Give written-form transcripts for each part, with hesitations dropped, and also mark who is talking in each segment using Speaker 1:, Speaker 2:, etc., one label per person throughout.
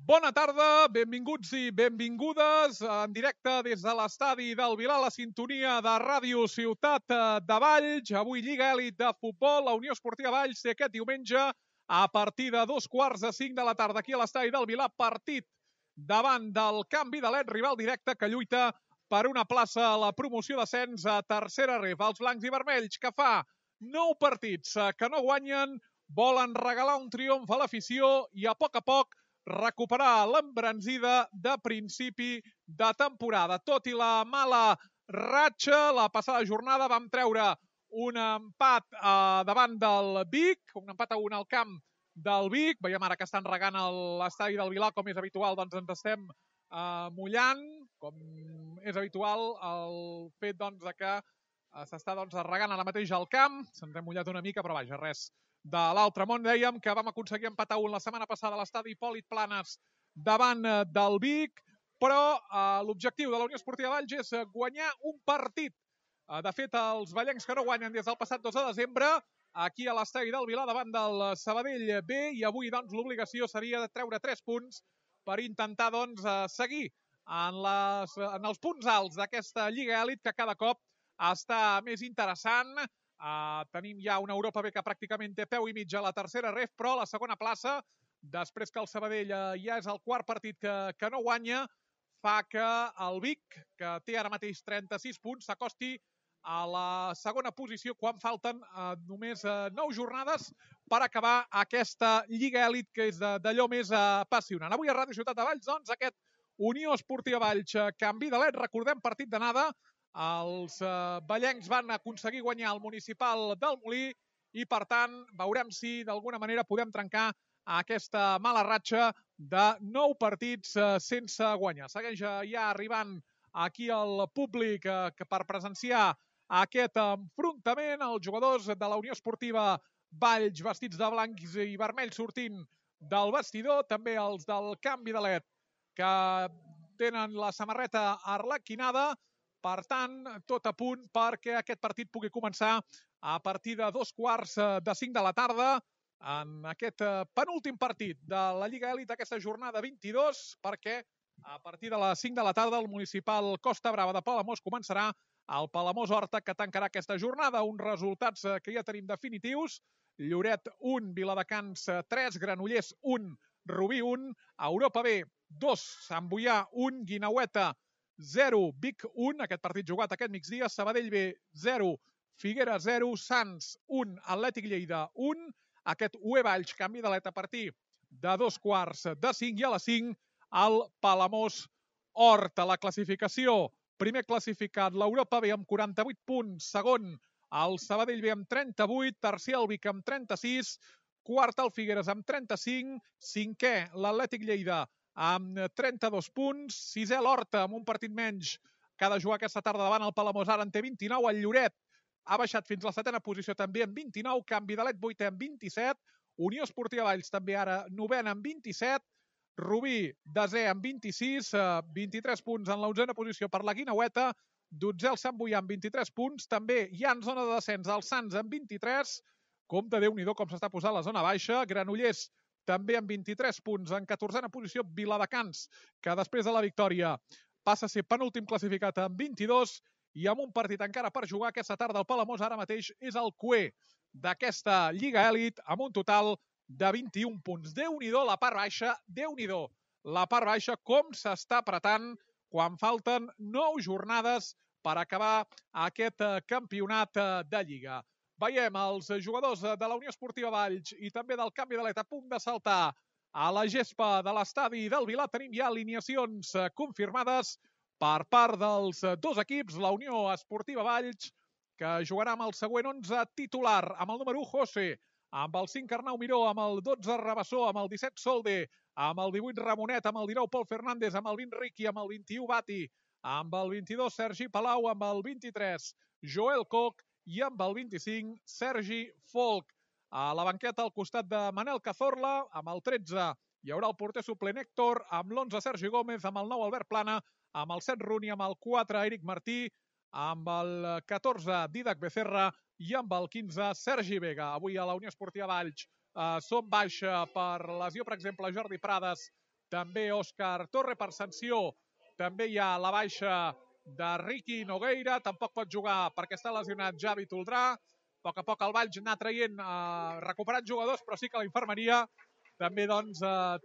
Speaker 1: Bona tarda, benvinguts i benvingudes en directe des de l'estadi del Vilar, la sintonia de Ràdio Ciutat de Valls. Avui Lliga Elit de Futbol, la Unió Esportiva Valls té aquest diumenge a partir de 2:45 de la tarda aquí a l'estadi del Vilar, partit davant del Can Vidalet, rival directe que lluita per una plaça a la promoció d'ascens a tercera ref. Els blancs i vermells, que fa 9 partits que no guanyen, volen regalar un triomf a l'afició i a poc recuperar l'embranzida de principi de temporada. Tot i la mala ratxa, la passada jornada vam treure un empat davant del Vic, un empat a 1 al camp del Vic. Veiem ara que estan regant l'estadi del Vilar, com és habitual, doncs ens estem mullant, com és habitual el fet doncs, que s'està regant ara mateix al camp. Se'ns hem mullat una mica, però vaja, res de l'altre món. Dèiem que vam aconseguir empatar 1 la setmana passada a l'estadi Hipòlit Planes davant del Vic, però l'objectiu de la Unió Esportiva Valls és guanyar un partit. De fet, els vallencs que no guanyen des del passat 2 de desembre, aquí a l'estadi del Vilar davant del Sabadell B, i avui doncs, l'obligació seria de treure 3 punts per intentar seguir en els punts alts d'aquesta Lliga Elit, que cada cop està més interessant. Tenim ja una Europa B que pràcticament té peu i mig a la tercera ref, però a la segona plaça, després que el Sabadell ja és el quart partit que no guanya, fa que el Vic, que té ara mateix 36 punts, s'acosti a la segona posició quan falten només 9 jornades per acabar aquesta Lliga Elit, que és d'allò més apassionant. Avui a Ràdio Ciutat de Valls, doncs, aquest Unió Esportiva Valls, Can Vidalet, recordem, partit d'anada. Els vallencs van aconseguir guanyar el municipal del Molí i, per tant, veurem si d'alguna manera podem trencar aquesta mala ratxa de 9 partits sense guanyar. Segueix ja arribant aquí el públic per presenciar aquest enfrontament. Els jugadors de la Unió Esportiva Valls vestits de blancs i vermells sortint del vestidor, també els del Can Vidalet que tenen la samarreta arlequinada. Per tant, tot a punt perquè aquest partit pugui començar a partir de 4:45 de la tarda en aquest penúltim partit de la Lliga Elit d'aquesta jornada 22, perquè a partir de les 5 de la tarda el municipal Costa Brava de Palamós començarà el Palamós-Horta, que tancarà aquesta jornada. Uns resultats que ja tenim definitius: Lloret 1, Viladecans 3, Granollers 1, Rubí 1, Europa B 2, Sant Boià 1, Guinaueta 0, Vic 1, aquest partit jugat aquest migdia, Sabadell B 0, Figueres 0, Sants 1, Atlètic Lleida 1, aquest UE Valls, Can Vidalet a partir de 2:45 i a les 5 el Palamós Horta. La classificació: primer classificat l'Europa B amb 48 punts, segon el Sabadell B amb 38, tercer el Vic amb 36, quart el Figueres amb 35, cinquè l'Atlètic Lleida amb 32 punts, sisè l'Horta amb un partit menys que ha de jugar aquesta tarda davant el Palamós, ara en té 29, el Lloret ha baixat fins a la setena posició també amb 29, Can Vidalet 8è amb 27, Unió Esportiva Valls també ara 9è amb 27, Rubí desè amb 26, 23 punts en la 11a posició per la Guinaueta, 12è el Sant Boià amb 23 punts, també hi ha en zona de descens el Sants amb 23, compte, Déu-n'hi-do com s'està posant la zona baixa, Granollers també amb 23 punts, en 14a posició Viladecans, que després de la victòria passa a ser penúltim classificat amb 22, i amb un partit encara per jugar aquesta tarda el Palamós ara mateix és el cuer d'aquesta Lliga Elit amb un total de 21 punts. Déu-n'hi-do la part baixa, Déu-n'hi-do la part baixa, com s'està apretant quan falten 9 jornades per acabar aquest campionat de Lliga. Veiem els jugadors de la Unió Esportiva Valls i també del Can Vidalet a punt de saltar a la gespa de l'estadi del Vilar. Tenim ja alineacions confirmades per part dels dos equips. La Unió Esportiva Valls, que jugarà amb el següent 11 titular, amb el número 1 José, amb el 5 Arnau Miró, amb el 12 Rabassó, amb el 17 Solde, amb el 18 Ramonet, amb el 19 Pol Fernández, amb el 20 Riqui, amb el 21 Bati, amb el 22 Sergi Palau, amb el 23 Joel Coc i amb el 25 Sergi Folk. A la banqueta al costat de Manel Cazorla, amb el 13 hi haurà el porter suplent Héctor, amb l'11 Sergi Gómez, amb el 9 Albert Plana, amb el 7 Runi, amb el 4 Eric Martí, amb el 14 Didac Becerra i amb el 15 Sergi Vega. Avui a la Unió Esportiva Valls són baixa per lesió, per exemple, Jordi Prades, també Òscar Torre. Per sanció també hi ha la baixa de Ricky Nogueira, tampoc pot jugar perquè està lesionat Javi Toldrà. A poc el Valls anar traient, recuperant jugadors, però sí que la infermeria també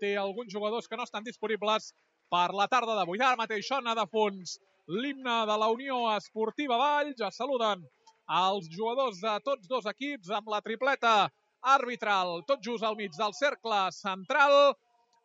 Speaker 1: té alguns jugadors que no estan disponibles per la tarda d'avui. Ara mateix sona de fons l'himne de la Unió Esportiva Valls. Es saluden els jugadors de tots dos equips amb la tripleta arbitral, tot just al mig del cercle central.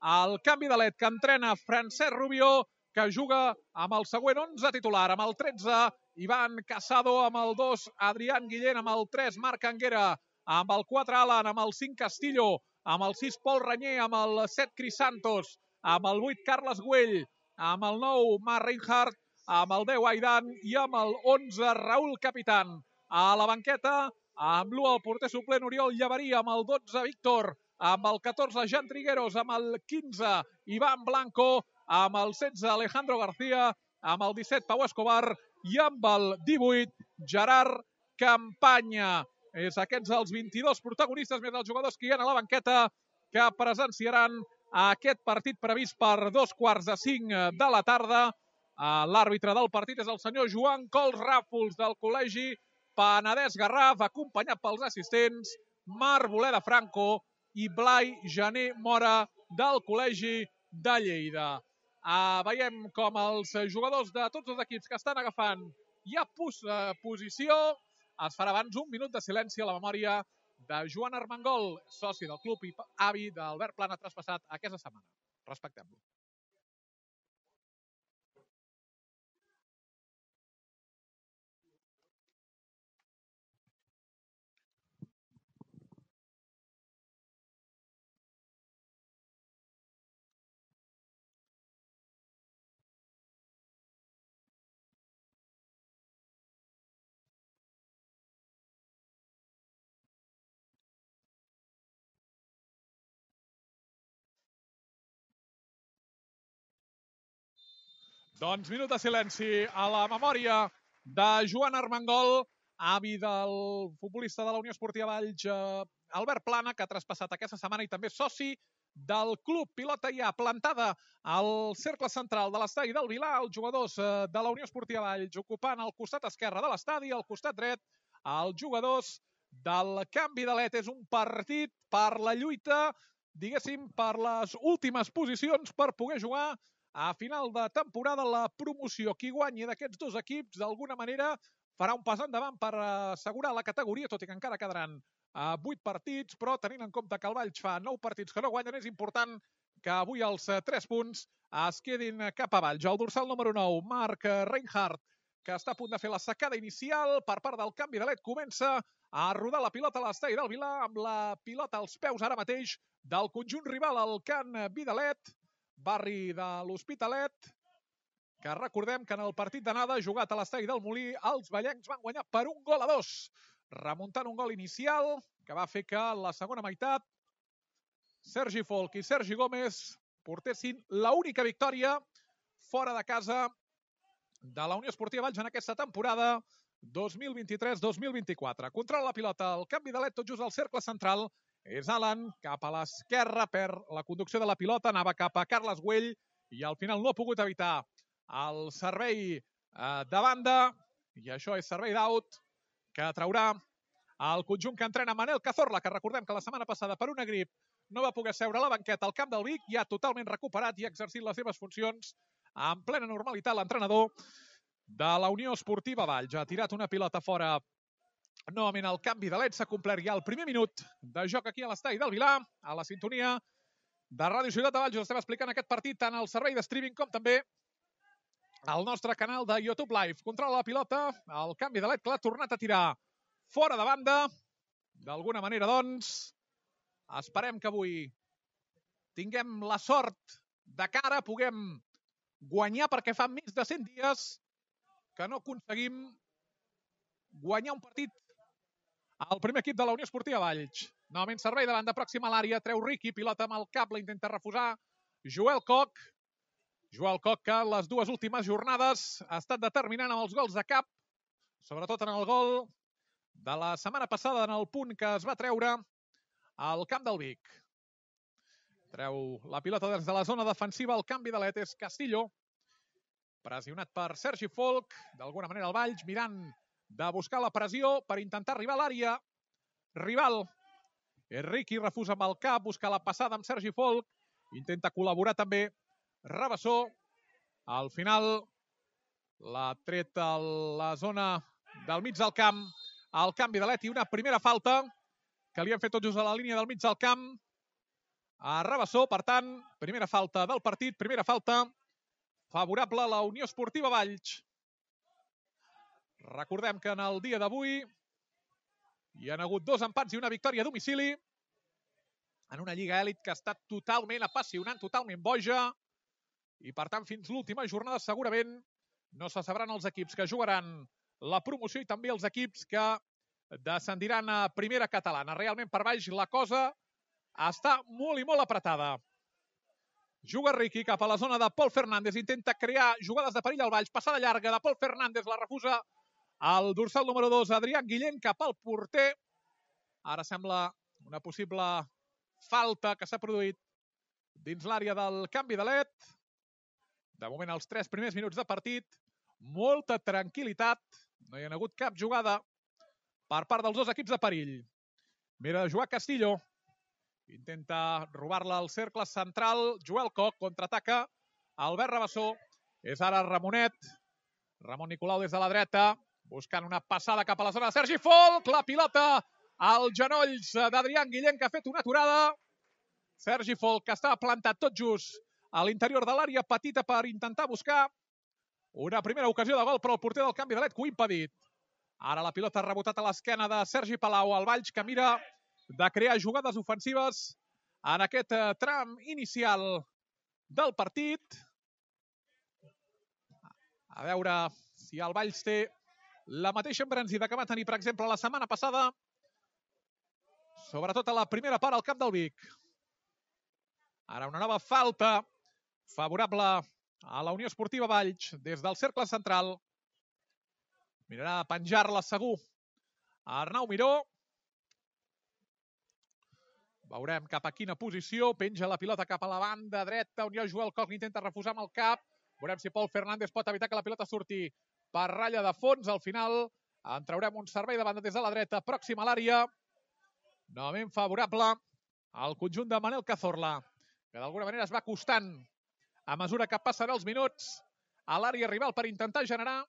Speaker 1: El canvi de led que entrena Francesc Rubio, que juga amb el següent 11 titular, amb el 13 Ivan Casado, amb el 2 Adrián Guillén, amb el 3 Marc Anguera, amb el 4 Alan, amb el 5 Castillo, amb el 6 Pol Ranyer, amb el 7 Cris Santos, amb el 8 Carles Güell, amb el 9 Marc Reinhardt, amb el 10 Aidan i amb el 11 Raúl Capitán. A la banqueta, amb l'1 el porter suplent Oriol Llaveria, amb el 12 Víctor, amb el 14 Jan Trigueros, amb el 15 Iván Blanco, amb el 16 Alejandro García, amb el 17 Pau Escobar i amb el 18 Gerard Campanya. És aquests els 22 protagonistes més els jugadors que hi ha a la banqueta que presenciaran aquest partit previst per 4:45 de la tarda. L'àrbitre del partit és el senyor Joan Cols Ràfols del Col·legi Penedès Garraf, acompanyat pels assistents Marc Boleda Franco i Blai Jané Mora del Col·legi de Lleida. Veiem com els jugadors de tots els equips que estan agafant ja posició. Es farà abans un minut de silenci a la memòria de Joan Armengol, soci del club i avi d'Albert Plana, traspassat aquesta setmana. Respectem-lo. Doncs minut de silenci a la memòria de Joan Armengol, avi del futbolista de la Unió Esportiva Valls, Albert Plana, que ha traspassat aquesta setmana i també soci del club. Pilota ja plantada al cercle central de l'estadi del Vilar. Els jugadors de la Unió Esportiva Valls ocupant el costat esquerre de l'estadi, al costat dret els jugadors del canvi de led. És un partit per la lluita, diguéssim, per les últimes posicions per poder jugar a final de temporada la promoció. Qui guanyi d'aquests dos equips d'alguna manera farà un pas endavant per assegurar la categoria, tot i que encara quedaran 8 partits, però tenint en compte que el Valls fa 9 partits que no guanyen, és important que avui els 3 punts es quedin cap a Valls. El dorsal número 9, Marc Reinhardt, que està a punt de fer la sacada inicial per part del canvi de led, comença a rodar la pilota a l'estadi del Vilar, amb la pilota als peus ara mateix del conjunt rival, el Can Vidalet, barri de l'Hospitalet, que recordem que en el partit d'anada jugat a l'estadi del Molí, els vallencs van guanyar per 1-2, remuntant un gol inicial que va fer que la segona meitat Sergi Folch i Sergi Gómez portessin l'única victòria fora de casa de la Unió Esportiva Valls en aquesta temporada 2023-2024. Controla la pilota, el canvi de led tot just al cercle central, és Alan, cap a l'esquerra, perd la conducció de la pilota, anava cap a Carles Güell i al final no ha pogut evitar el servei de banda, i això és servei d'out que traurà el conjunt que entrena Manel Cazorla, que recordem que la setmana passada per una grip no va poder seure a la banqueta al camp del Vic, ja totalment recuperat i exercint les seves funcions en plena normalitat. L'entrenador de la Unió Esportiva Valls ha tirat una pilota fora. Novament el canvi de led, s'ha complert ja el primer minut de joc aquí a l'estadi del Vilar, a la sintonia de Ràdio Ciutat de Valls. Us estem explicant aquest partit tant al servei de streaming com també al nostre canal de YouTube Live. Controla la pilota, el canvi de led que l'ha tornat a tirar fora de banda. D'alguna manera, doncs, esperem que avui tinguem la sort de cara, puguem guanyar, perquè fa més de 100 dies que no aconseguim guanyar un partit al primer equip de la Unió Esportiva Valls. Novament servei de banda pròxima a l'àrea, treu Riqui, pilota amb el cap, la intenta refusar Joel Koch. Joel Koch, que les dues últimes jornades ha estat determinant amb els gols de cap, sobretot en el gol de la setmana passada, en el punt que es va treure al camp del Vic. Treu la pilota des de la zona defensiva, el canvi d'alet és Castillo. Pressionat per Sergi Folk, d'alguna manera el Valls, mirant de buscar la pressió per intentar arribar a l'àrea rival. Riqui refusa amb el cap, busca la passada amb Sergi Folk, intenta col·laborar també Rabassó. Al final l'ha tret a la zona del mig del camp, el canvi d'alet i una primera falta que li han fet tot just a la línia del mig del camp a Rabassó. Per tant, primera falta del partit, primera falta favorable a la Unió Esportiva Valls. Recordem que en el dia d'avui hi ha hagut 2 empats i una victòria a domicili en una Lliga Elit que ha estat totalment apassionant, totalment boja, i per tant fins l'última jornada segurament no se sabran els equips que jugaran la promoció i també els equips que descendiran a primera catalana. Realment per baix la cosa està molt i molt apretada. Juga Riqui cap a la zona de Pol Fernández, intenta crear jugades de perill al Valls, passada llarga de Pol Fernández, la refusa el dorsal número 2, Adrián Guillén, cap al porter. Ara sembla una possible falta que s'ha produït dins l'àrea del canvi d'alet. De moment, els 3 primers minuts de partit, molta tranquil·litat, no hi ha hagut cap jugada per part dels 2 equips de perill. Mira de jugar Castillo, intenta robar-la al cercle central, Joel Koch, contraataca, Albert Rabassó, és ara Ramonet, Ramon Nicolau des de la dreta, buscant una passada cap a la zona de Sergi Folk, la pilota als genolls d'Adrián Guillén, que ha fet una aturada. Sergi Folk, que està plantat tot just a l'interior de l'àrea petita per intentar buscar una primera ocasió de gol, però el porter del canvi d'alet que ho ha impedit. Ara la pilota ha rebotat a l'esquena de Sergi Palau, el Valls que mira de crear jugades ofensives en aquest tram inicial del partit. A veure si el Valls té la mateixa embranzida que va tenir, per exemple, la setmana passada, sobretot a la primera part al camp del Vic. Ara una nova falta favorable a la Unió Esportiva Valls des del cercle central. Mirarà a penjar-la segur Arnau Miró. Veurem cap a quina posició. Penja la pilota cap a la banda dreta, on hi ha Joel Koch que intenta refusar amb el cap. Veurem si Pol Fernández pot evitar que la pilota surti per ratlla de fons. Al final en traurem un servei de banda des de la dreta, pròxim a l'àrea. Novament favorable al conjunt de Manel Cazorla, que d'alguna manera es va acostant a mesura que passen els minuts a l'àrea rival per intentar generar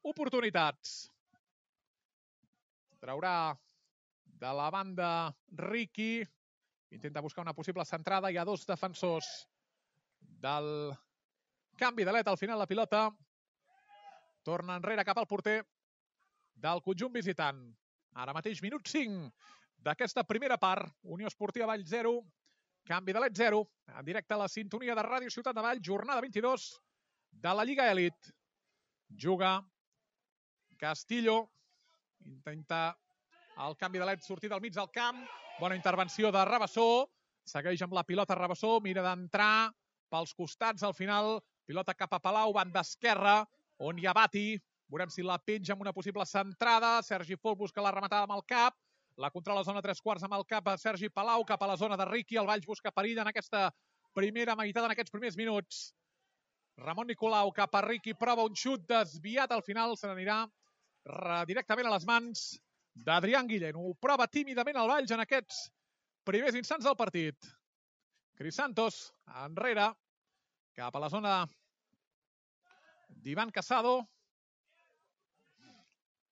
Speaker 1: oportunitats. Traurà de la banda Riqui, intenta buscar una possible centrada. Hi ha 2 defensors del canvi d'alet. Al final la pilota torna enrere cap al porter del conjunt visitant. Ara mateix minut 5 d'aquesta primera part. Unió Esportiva Valls 0, canvi d'alet 0. En directe a la sintonia de Ràdio Ciutat de Valls, jornada 22 de la Lliga Elit. Juga Castillo, intenta el canvi d'alet sortir del mig del camp. Bona intervenció de Rabassó. Segueix amb la pilota Rabassó, mira d'entrar pels costats. Al final, pilota cap a Palau, banda esquerra, on hi ha Bati. Veurem si la penja amb una possible centrada. Sergi Folk busca la rematada amb el cap. La controla a zona 3/4 amb el cap a Sergi Palau, cap a la zona de Riqui. El Valls busca perill en aquesta primera meitat, en aquests primers minuts. Ramon Nicolau cap a Riqui, prova un xut desviat. Al final se n'anirà directament a les mans d'Adrián Guillén. Ho prova tímidament el Valls en aquests primers instants del partit. Cris Santos enrere, cap a la zona d'Ivan Casado.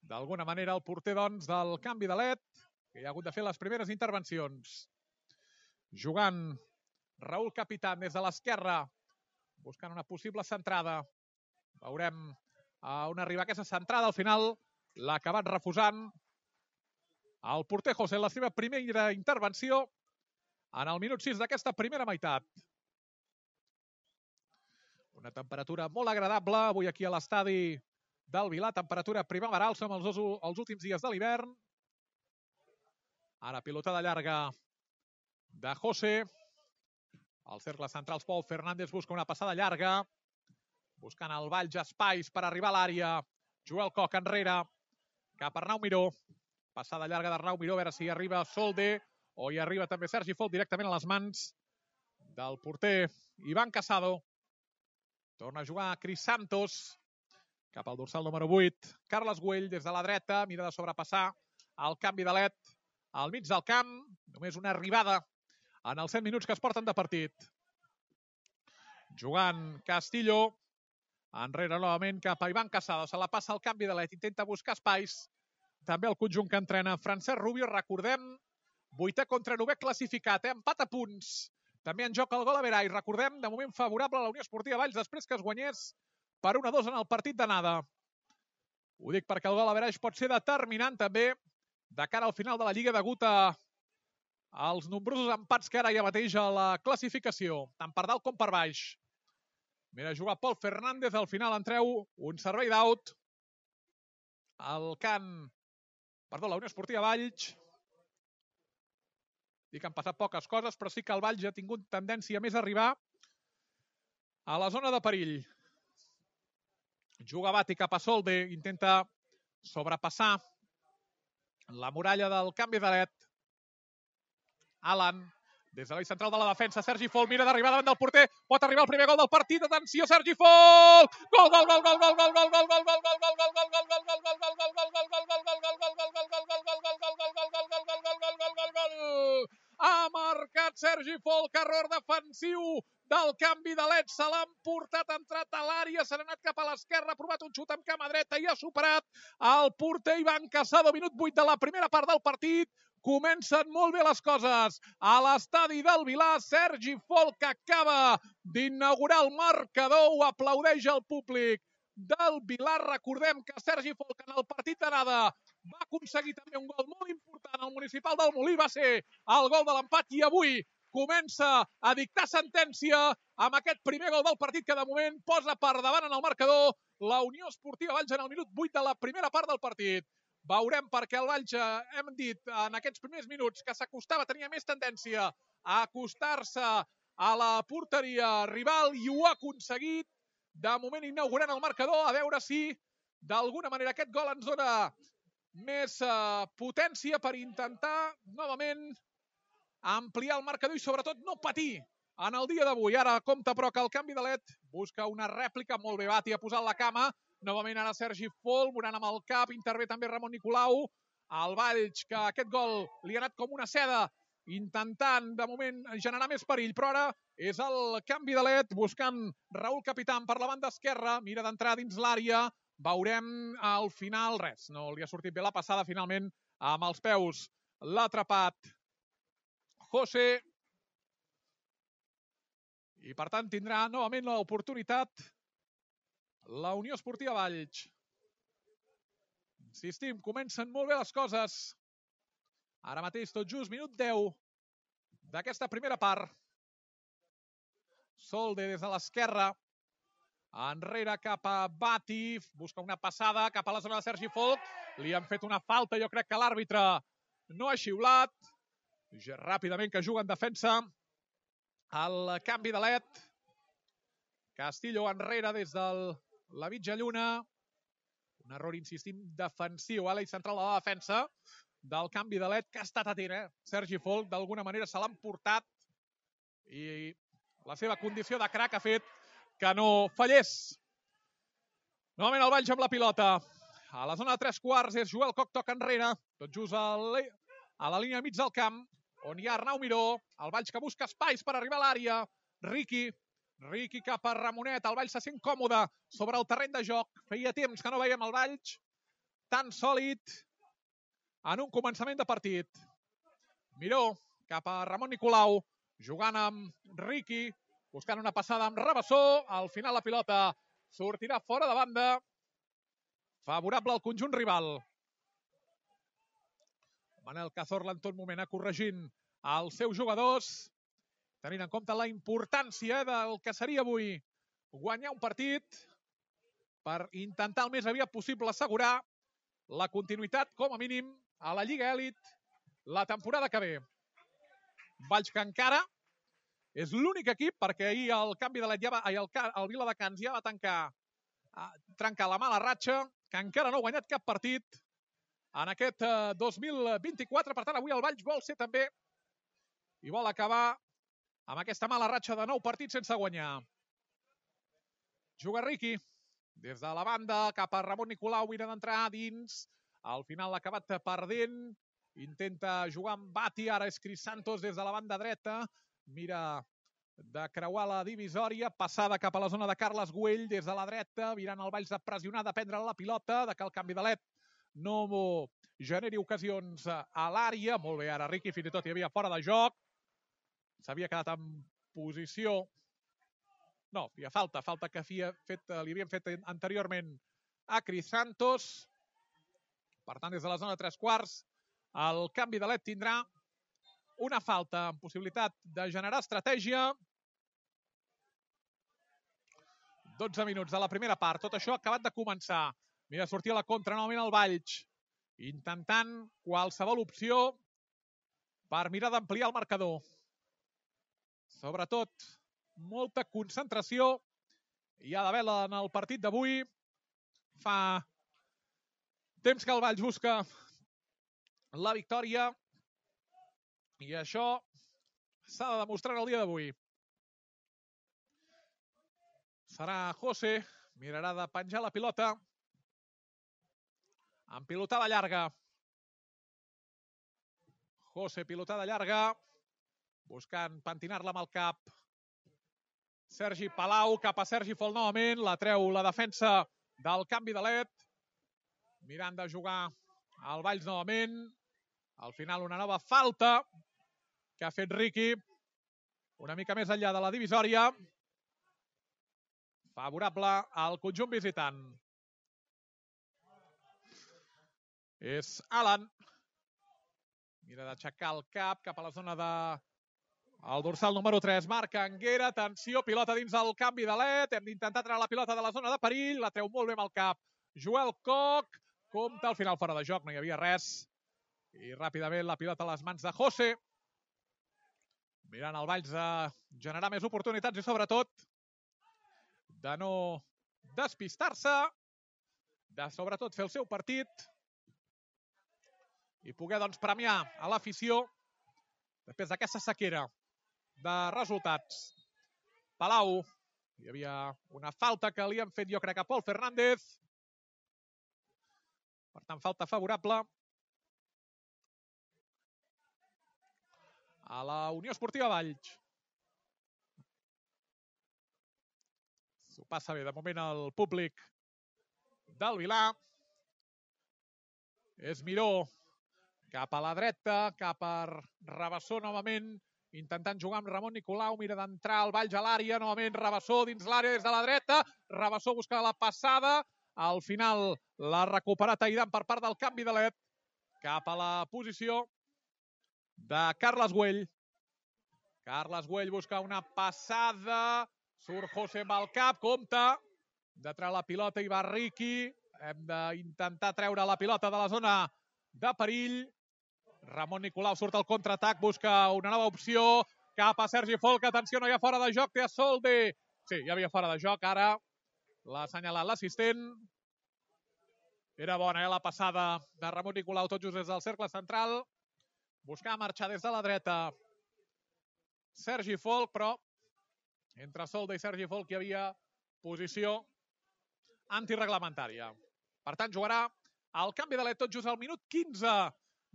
Speaker 1: D'alguna manera el porter, doncs, del canvi d'alet, que ha hagut de fer les primeres intervencions. Jugant Raúl Capitán des de l'esquerra, buscant una possible centrada. Veurem on arriba aquesta centrada. Al final l'ha acabat refusant el porter José en la seva primera intervenció en el minut 6 d'aquesta primera meitat. Una temperatura molt agradable avui aquí a l'estadi del Vilar, temperatura primaveral, som els últims dies de l'hivern. Ara pilotada llarga de José. Al cercle central Pol Fernández busca una passada llarga, buscant el Valls espais per arribar a l'àrea. Joel Koch enrere, cap a Arnau Miró. Passada llarga d'Arnau Miró, a veure si arriba Solde o hi arriba també Sergi Folk directament a les mans del porter Iván Casado. Torna a jugar Cris Santos cap al dorsal número 8. Carles Güell des de la dreta, mira de sobrepassar el canvi de led al mig del camp. Només una arribada en els 100 minuts que es porten de partit. Jugant Castillo. Enrere novament cap a Iván Casado. Se la passa al canvi de led. Intenta buscar espais. També el conjunt que entrena Francesc Rubio. Recordem, 8è contra 9è classificat. Empat a punts. També en joc el gol a Verai. Recordem, de moment favorable a la Unió Esportiva Valls després que es guanyés per 1-2 en el partit d'anada. Ho dic perquè el gol a Verai pot ser determinant també de cara al final de la Lliga degut als nombrosos empats que ara hi ha mateix a la classificació, tant per dalt com per baix. Mira, juga Pol Fernández, al final en treu un servei d'aut. El camp, la Unió Esportiva Valls. Dic que han passat poques coses, però sí que el Valls ha tingut tendència més a arribar a la zona de perill. Juga Bati cap a Solde, intenta sobrepassar la muralla del canvi de led. Alan, des de l'eix central de la defensa, Sergi Fol mira d'arribar davant del porter, pot arribar el primer gol del partit, atenció, Sergi Fol! Gol, gol, gol, gol, gol, gol, gol, gol, gol, gol, gol, gol, gol, gol, gol, gol, gol, gol, gol, gol, ha marcat Sergi Folk, error defensiu del canvi de led, se l'han portat, ha entrat a l'àrea, s'ha anat cap a l'esquerra, ha provat un xut amb cama dreta i ha superat el porter Iván Casado, minut 8 de la primera part del partit. Comencen molt bé les coses a l'estadi del Vilar. Sergi Folk acaba d'inaugurar el marcador, ho aplaudeix el públic del Vilar. Recordem que Sergi Folk en el partit d'anada va aconseguir també un gol molt important al Municipal del Molí, va ser el gol de l'empat i avui comença a dictar sentència amb aquest primer gol del partit que de moment posa per davant en el marcador la Unió Esportiva Valls en el minut 8 de la primera part del partit. Veurem perquè el Valls, hem dit en aquests primers minuts que s'acostava, tenia més tendència a acostar-se a la porteria rival i ho ha aconseguit. De moment inaugurant el marcador, a veure si d'alguna manera aquest gol ens dona més potència per intentar novament ampliar el marcador i sobretot no patir en el dia d'avui. Ara compta però que el canvi de led busca una rèplica, molt bé Bati ha posat la cama, novament ara Sergi Fol, morant amb el cap, intervé també Ramon Nicolau, el Valls que aquest gol li ha anat com una seda, intentant de moment generar més perill, però ara és el canvi de led buscant Raúl Capitán per la banda esquerra, mira d'entrar dins l'àrea, veurem al final res, no li ha sortit bé la passada, finalment amb els peus l'ha atrapat José i per tant tindrà novament l'oportunitat la Unió Esportiva Valls. Insistim, comencen molt bé les coses. Ara mateix tot just minut 10 d'aquesta primera part. Solde des de l'esquerra. Enrere cap a Bati. Busca una passada cap a la zona de Sergi Folk. Li han fet una falta, jo crec que l'àrbitre no ha xiulat. Ràpidament que juga en defensa. El canvi de led. Castillo enrere des de la mitja lluna. Un error, insistim, defensiu a l'eix central de la defensa del canvi de led que ha estat atent, Sergi Folk, d'alguna manera se l'han portat i la seva condició de crac ha fet que no fallés. Novament el Valls amb la pilota. A la zona de 3/4 és Joel Coc, toca enrere, tot just a la línia mig del camp, on hi ha Arnau Miró, el Valls que busca espais per arribar a l'àrea, Riqui cap a Ramonet, el Valls se sent còmode sobre el terreny de joc, feia temps que no veiem el Valls tan sòlid en un començament de partit. Miró cap a Ramon Nicolau, jugant amb Riqui, buscant una passada amb Rabassó, al final la pilota sortirà fora de banda, favorable al conjunt rival. Manel Cazorla en tot moment corregint els seus jugadors, tenint en compte la importància del que seria avui guanyar un partit per intentar el més aviat possible assegurar la continuïtat, com a mínim, a la Lliga Elit la temporada que ve. Valls que encara és l'únic equip, perquè ahir el canvi de led el Viladecans ja va trencar la mala ratxa, que encara no ha guanyat cap partit en aquest 2024. Per tant, avui el Valls vol ser també i vol acabar amb aquesta mala ratxa de 9 partits sense guanyar. Juga Riqui, des de la banda cap a Ramon Nicolau, mira d'entrar dins, al final l'ha acabat perdent, intenta jugar amb Bati, ara és Cris Santos des de la banda dreta, mira de creuar la divisòria, passada cap a la zona de Carles Güell des de la dreta, mirant el Valls de pressionar, de prendre la pilota, de que el canvi de LED no generi ocasions a l'àrea. Molt bé, ara Riqui, fins i tot hi havia fora de joc, s'havia quedat en posició. No, hi ha falta que li havien fet anteriorment a Cris Santos. Per tant, des de la zona de 3/4, el canvi de LED tindrà una falta amb possibilitat de generar estratègia. 12 minuts de la primera part. Tot això ha acabat de començar. Mira, sortir a la contra novament el Valls, intentant qualsevol opció per mirar d'ampliar el marcador. Sobretot, molta concentració hi ha d'haver en el partit d'avui. Fa temps que el Valls busca la victòria i això s'ha de demostrar el dia d'avui. Serà José, mirarà de penjar la pilota amb pilotada llarga. José, pilotada llarga, buscant pentinar-la amb el cap. Sergi Palau, cap a Sergi Fol novament, la treu la defensa del canvi de LED. Mirant de jugar al Valls novament. Al final una nova falta que ha fet Riqui, una mica més enllà de la divisòria. Favorable al conjunt visitant. És Alan. Mira d'aixecar el cap a la zona de el dorsal número 3, Marc Anguera. Atenció, pilota dins del canvi de LED. Hem d'intentar treure la pilota de la zona de perill. La treu molt bé amb el cap Joel Koch. Compte al final fora de joc, no hi havia res. I ràpidament la pilota a les mans de José. Mirant el Valls de generar més oportunitats i sobretot de no despistar-se, de sobretot fer el seu partit i poder doncs premiar a l'afició després d'aquesta sequera de resultats. Palau, hi havia una falta que li han fet jo crec a Pol Fernández. Per tant, falta favorable a la Unió Esportiva Valls. S'ho passa bé de moment el públic del Vilar. És Miró cap a la dreta, cap a Rabassó novament, intentant jugar amb Ramon Nicolau, mira d'entrar el Valls a l'àrea, novament Rabassó dins l'àrea des de la dreta, Rabassó busca la passada, al final l'ha recuperat Aidan per part del canvi de LED, cap a la posició de Carles Güell. Carles Güell busca una passada, surt José amb el cap, compte, de treure la pilota i va Riqui, hem d'intentar treure la pilota de la zona de perill. Ramon Nicolau surt al contraatac, busca una nova opció, cap a Sergi Folk, atenció, no hi ha fora de joc, té a Solde. Sí, hi havia fora de joc, ara l'ha assenyalat l'assistent. Era bona, la passada de Ramon Nicolau, tot just des del cercle central. Buscar marxar des de la dreta Sergi Folk, però entre Solde i Sergi Folk hi havia posició antireglamentària. Per tant, jugarà el canvi de LED tot just al minut 15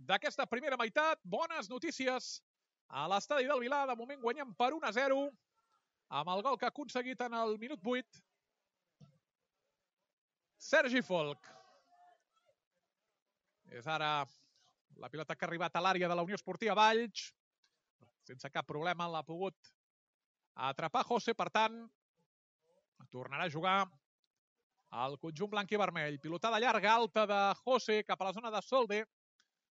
Speaker 1: d'aquesta primera meitat. Bones notícies a l'estadi del Vilar. De moment guanyem per 1-0 amb el gol que ha aconseguit en el minut 8 Sergi Folk. És ara la pilota que ha arribat a l'àrea de la Unió Esportiva Valls. Sense cap problema l'ha pogut atrapar José, per tant, tornarà a jugar el conjunt blanc i vermell. Pilotada llarga, alta de José cap a la zona de Solde.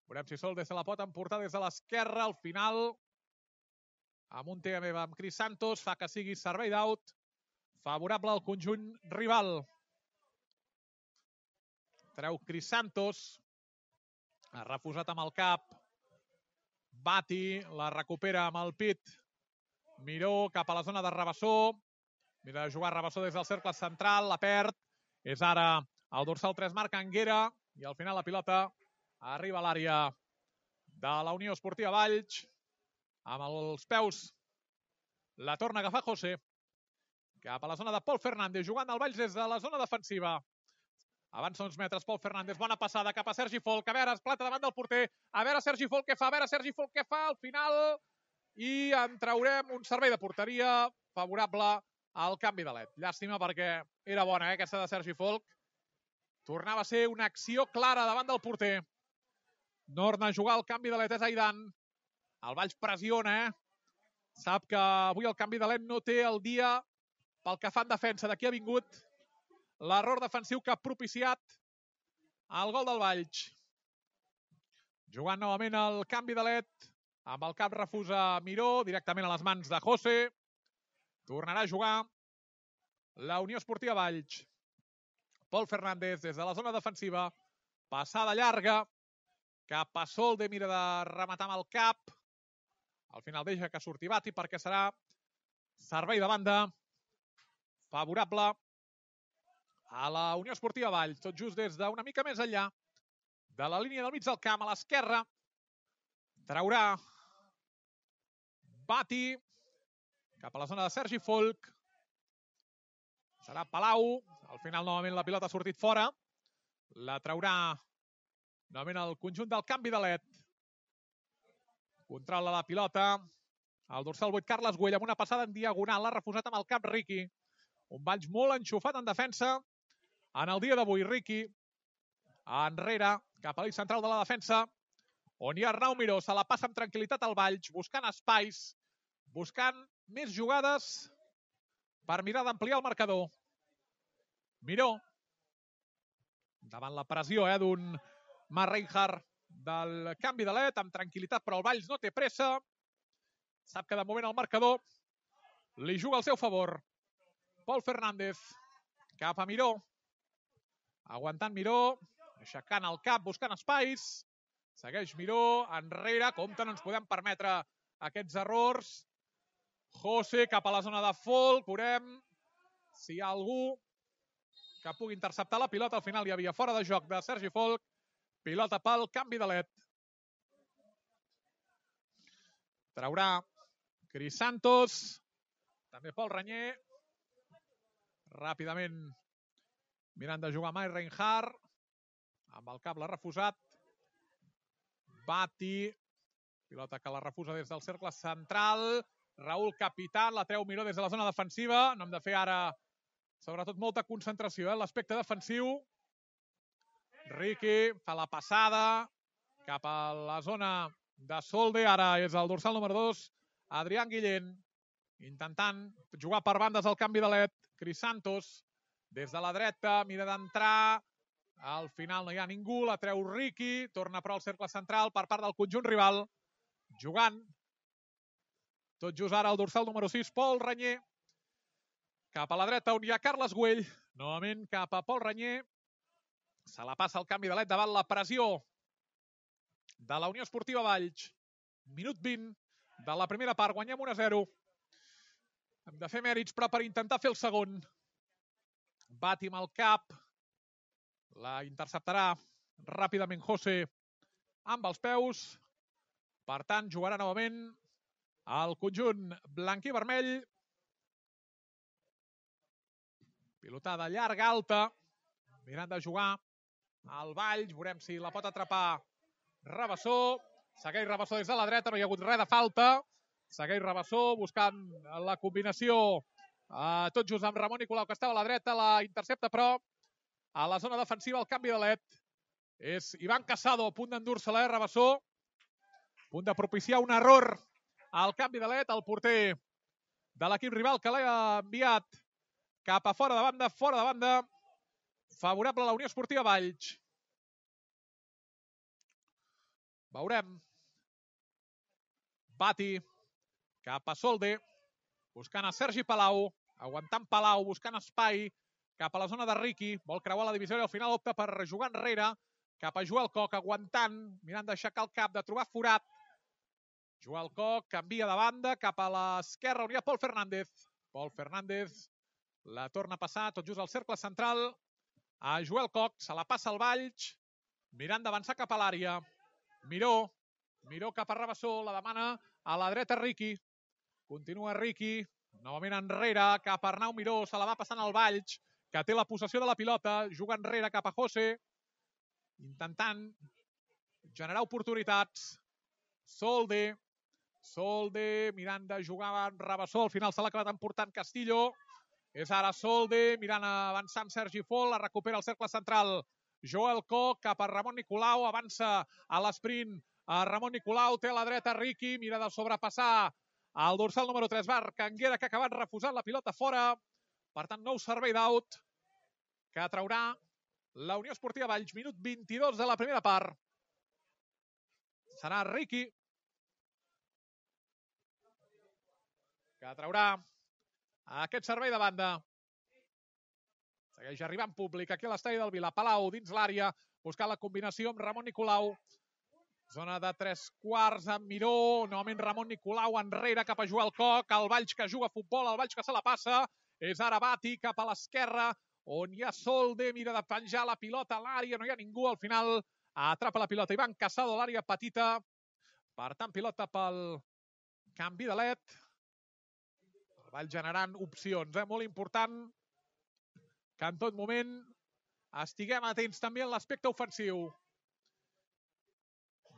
Speaker 1: Veurem si Solde se la pot emportar des de l'esquerra. Al final, amb un TMB amb Cris Santos, fa que sigui servei d'out favorable al conjunt rival. Treu Cris Santos, ha refusat amb el cap. Bati la recupera amb el pit. Miró cap a la zona de Rabassó. Mira de jugar Rabassó des del cercle central, la perd. És ara el dorsal 3, Marc Anguera. I al final la pilota arriba a l'àrea de la Unió Esportiva Valls amb els peus La torna a agafar José. Cap a la zona de Pol Fernández, jugant al Valls des de la zona defensiva. Avança uns metres Pol Fernández, bona passada cap a Sergi Folk. A veure, es planta davant del porter. A veure Sergi Folk què fa, a veure Sergi Folk què fa al final. I en traurem un servei de porteria favorable al canvi de led. Llàstima perquè era bona aquesta de Sergi Folk. Tornava a ser una acció clara davant del porter. Torna a jugar el canvi de led, és Aidan. El Valls pressiona, Sap que avui el canvi de led no té el dia pel que fa en defensa. D'aquí ha vingut l'error defensiu que ha propiciat el gol del Valls. Jugant novament el canvi de led, amb el cap refusa Miró, directament a les mans de José. Tornarà a jugar la Unió Esportiva Valls. Pol Fernández des de la zona defensiva, passada llarga, cap a Solde, mira de rematar amb el cap. Al final deixa que surti Bati perquè serà servei de banda favorable a la Unió Esportiva Valls. Tot just des d'una mica més enllà de la línia del mig del camp, a l'esquerra. Traurà Bati cap a la zona de Sergi Folk. Serà Palau. Al final, novament, la pilota ha sortit fora. La traurà novament el conjunt del canvi de led. Controla la pilota. El dorsal 8, Carles Güell, amb una passada en diagonal. L'ha refusat amb el cap Riqui. Un Valls molt enxufat en defensa. En el dia d'avui, Riqui enrere, cap a l'eix central de la defensa, on hi ha Arnau Miró. Se la passa amb tranquil·litat al Valls, buscant espais, buscant més jugades per mirar d'ampliar el marcador. Miró, davant la pressió d'un Marc Reinhardt del canvi de led, amb tranquil·litat, però el Valls no té pressa. Sap que de moment el marcador li juga al seu favor. Pol Fernández cap a Miró. Aguantant Miró, aixecant el cap, buscant espais. Segueix Miró, enrere. Compte, no ens podem permetre aquests errors. José cap a la zona de Folk. Veurem si hi ha algú que pugui interceptar la pilota. Al final hi havia fora de joc de Sergi Folk. Pilota pel canvi de led. Traurà Cris Santos. També Pol Renyer. Ràpidament mirant de jugar Marc Reinhardt. Amb el cap l'ha refusat. Bati. Pilota que la refusa des del cercle central. Raül Capitán, la treu Miró des de la zona defensiva. No hem de fer ara, sobretot, molta concentració en l'aspecte defensiu. Riqui fa la passada cap a la zona de Solde. Ara és el dorsal número 2, Adrián Guillén, intentant jugar per bandes al canvi de led. Cris Santos, des de la dreta, mira d'entrar. Al final no hi ha ningú, la treu Riqui. Torna però al cercle central per part del conjunt rival. Jugant. Tot just ara el dorsal número 6, Pol Renyer. Cap a la dreta on hi ha Carles Güell. Novament cap a Pol Renyer. Se la passa el canvi de led davant la pressió de la Unió Esportiva Valls. Minut 20 de la primera part. Guanyem 1-0. Hem de fer mèrits, però per intentar fer el segon. Bati amb el cap. La interceptarà ràpidament José amb els peus. Per tant, jugarà novament el conjunt blanc i vermell. Pilotada llarga, alta. Mirant de jugar al Valls. Veurem si la pot atrapar Rabassó. Segueix Rabassó des de la dreta. No hi ha hagut res de falta. Segueix Rabassó buscant la combinació tot just amb Ramon Nicolau, que estava a la dreta. La intercepta, però a la zona defensiva el canvi de led és Ivan Casado, a punt d'endur-se-la, Rabassó. A punt de propiciar un error al canvi de led. El porter de l'equip rival que l'ha enviat cap a fora de banda. Favorable a la Unió Esportiva Valls. Veurem. Bati cap a Solde, buscant a Sergi Palau, aguantant Palau, buscant espai cap a la zona de Riqui. Vol creuar la divisió i al final opta per jugar enrere cap a Joel Coc, aguantant, mirant d'aixecar el cap, de trobar forat. Joel Coc canvia de banda cap a l'esquerra on hi ha Pol Fernández. Pol Fernández la torna a passar tot just al cercle central a Joel Coc. Se la passa al Valls, mirant d'avançar cap a l'àrea. Miró cap a Rabassó, la demana a la dreta Riqui. Continua Riqui. Novament enrere, cap a Arnau Miró. Se la va passant al Valls, que té la possessió de la pilota. Juga enrere cap a José. Intentant generar oportunitats. Solde mirant de jugar amb Rabassó. Al final se l'ha acabat emportant Castillo. És ara Solde mirant a avançar amb Sergi Fol. La recupera el cercle central. Joel Koch cap a Ramon Nicolau. Avança a l'esprint a Ramon Nicolau. Té a la dreta Riqui. Mira de sobrepassar el dorsal número 3, Marc Anguera, que ha acabat refusant la pilota fora. Per tant, nou servei d'aut que traurà la Unió Esportiva Valls. Minut 22 de la primera part. Serà Riqui que traurà aquest servei de banda. Segueix arribant públic aquí a l'estadi del Vila. Palau dins l'àrea, buscant la combinació amb Ramon Nicolau. Zona de 3/4 amb Miró. Novament Ramon Nicolau enrere cap a Joel Koch. El Valls que juga a futbol, el Valls que se la passa. És ara Bati cap a l'esquerra, on hi ha Solde. Mira de penjar la pilota a l'àrea. No hi ha ningú. Al final atrapa la pilota Ivan Casado a l'àrea petita. Per tant, pilota pel canvi de led. El Valls generant opcions. Molt important que en tot moment estiguem atents també en l'aspecte ofensiu.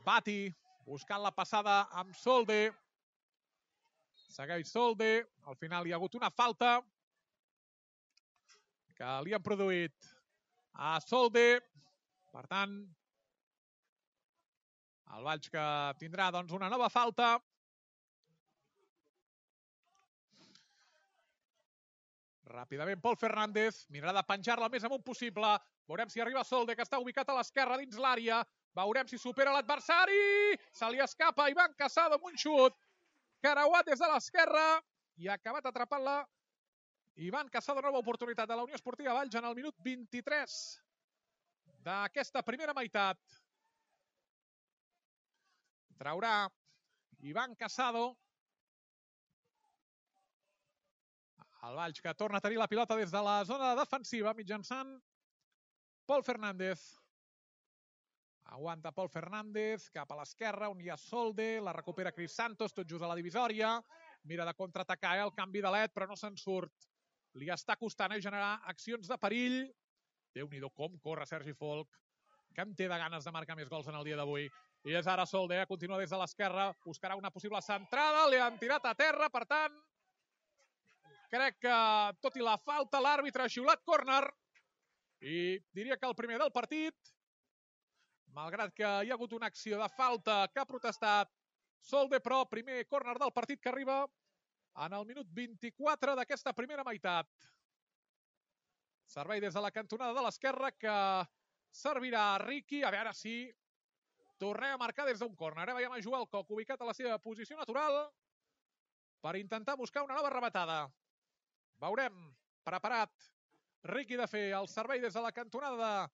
Speaker 1: Bati buscant la passada amb Solde. Segueix Solde. Al final hi ha hagut una falta que li han produït a Solde. Per tant, el Valls que tindrà doncs una nova falta. Ràpidament Pol Fernández mirarà de penjar-la el més amunt possible. Veurem si arriba Solde, que està ubicat a l'esquerra dins l'àrea. Veurem si supera l'adversari. Se li escapa Ivan Casado amb un xut. Creuat des de l'esquerra i ha acabat atrapant-la Ivan Casado. Nova oportunitat de la Unió Esportiva Valls en el minut 23 d'aquesta primera meitat. Traurà Ivan Casado. El Valls que torna a tenir la pilota des de la zona defensiva mitjançant Pol Fernández. Aguanta Pol Fernández cap a l'esquerra, on hi ha Solde. La recupera Cris Santos, tot just a la divisòria. Mira de contraatacar el canvi de led, però no se'n surt. Li està costant generar accions de perill. Déu-n'hi-do com corre Sergi Folk, que en té de ganes de marcar més gols en el dia d'avui. I és ara Solde, continua des de l'esquerra. Buscarà una possible centrada. Li han tirat a terra, per tant, crec que, tot i la falta, l'àrbitre ha xiulat córner. I diria que el primer del partit, malgrat que hi ha hagut una acció de falta que ha protestat Solde, però primer córner del partit que arriba en el minut 24 d'aquesta primera meitat. Servei des de la cantonada de l'esquerra que servirà a Riqui. A veure si tornem a marcar des d'un córner. Veiem a Joel Koch ubicat a la seva posició natural per intentar buscar una nova rematada. Veurem preparat Riqui de fer el servei des de la cantonada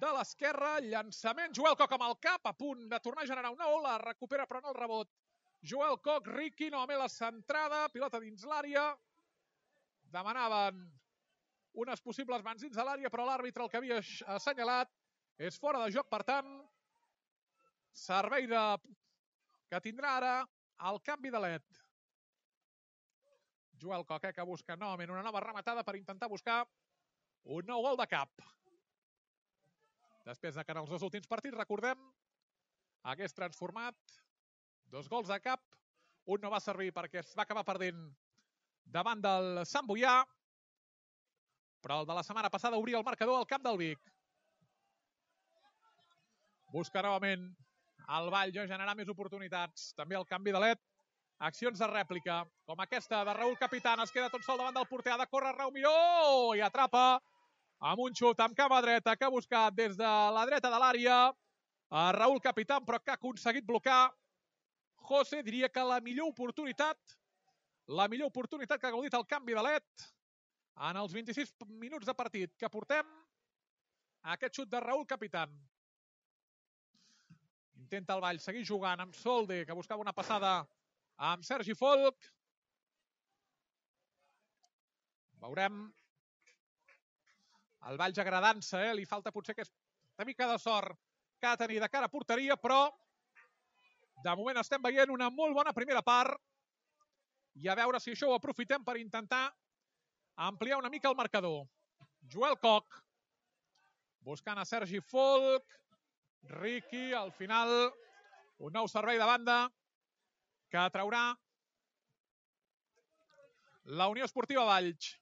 Speaker 1: de l'esquerra. Llançament, Joel Koch amb el cap, a punt de tornar a generar una ola. Recupera però no el rebot. Joel Koch, Riqui, novament la centrada. Pilota dins l'àrea. Demanaven unes possibles mans dins de l'àrea, però l'àrbitre el que havia assenyalat és fora de joc. Per tant, servei que tindrà ara el canvi de led. Joel Koch, que busca novament una nova rematada per intentar buscar un nou gol de cap. Després de que en els dos últims partits, recordem, hagués transformat 2 gols de cap. Un no va servir perquè es va acabar perdent davant del Sant Boià, però el de la setmana passada obria el marcador al camp del Vic. Busca novament el Valls a generar més oportunitats. També el canvi de led. Accions de rèplica, com aquesta de Raúl Capitán. Es queda tot sol davant del porter. Ha de córrer Arnau Miró i atrapa amb un xut amb cama dreta que ha buscat des de la dreta de l'àrea a Raúl Capitán, però que ha aconseguit blocar José. Diria que la millor oportunitat que ha gaudit el canvi de led en els 26 minuts de partit que portem, aquest xut de Raúl Capitán. Intenta el Valls seguir jugant amb Solde, que buscava una passada amb Sergi Folk. Veurem el Valls agradant-se, li falta potser aquesta mica de sort que ha de tenir de cara a porteria, però de moment estem veient una molt bona primera part i a veure si això ho aprofitem per intentar ampliar una mica el marcador. Joel Koch, buscant a Sergi Folk, Riqui, al final un nou servei de banda que traurà la Unió Esportiva Valls.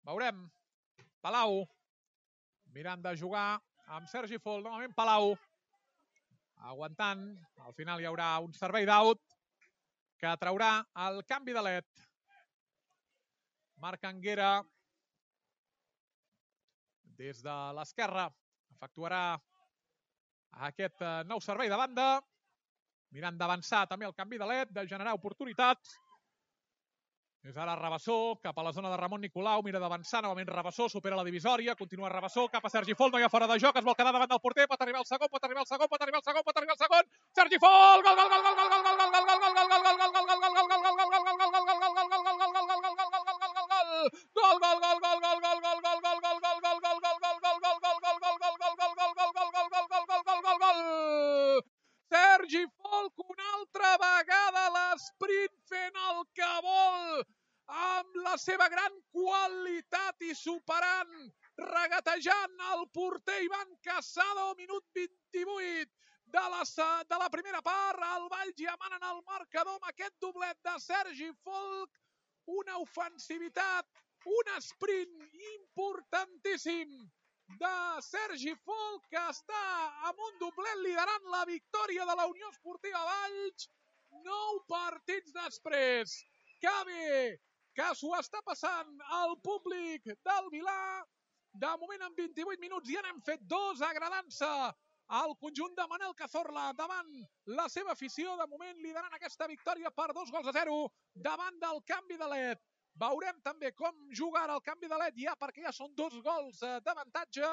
Speaker 1: Veurem. Palau, mirant de jugar amb Sergi Folk, novament Palau, aguantant. Al final hi haurà un servei d'out que traurà el canvi de led. Marc Anguera, des de l'esquerra, efectuarà aquest nou servei de banda, mirant d'avançar també el canvi de led, de generar oportunitats. És ara Rabassó, cap a la zona de Ramon Nicolau, mira d'avançar, novament Rabassó, supera la divisòria, continua Rabassó, cap a Sergi Folk, no hi ha fora de joc, es vol quedar davant del porter, pot arribar al segon, pot arribar al segon, pot arribar al segon, pot arribar al segon, Sergi Folk, gol, gol, gol, gol, gol, gol, gol, gol, gol, gol, gol, gol, gol, gol, Sergi Folk una altra vegada a l'esprint fent el que vol amb la seva gran qualitat i superant, regatejant el porter Ivan Casado, minut 28 de la primera part. El Valls ja manen el marcador amb aquest doblet de Sergi Folk, una ofensivitat, un sprint importantíssim de Sergi Folk, que està amb un doblet liderant la victòria de la Unió Esportiva Valls 9 partits després. Que bé que s'ho està passant el públic del Vilà. De moment en 28 minuts ja n'hem fet 2, agradant-se al conjunt de Manel Cazorla davant la seva afició. De moment liderant aquesta victòria per 2-0 davant del canvi de led. Veurem també com juga ara el canvi de led ja, perquè ja són 2 gols d'avantatge,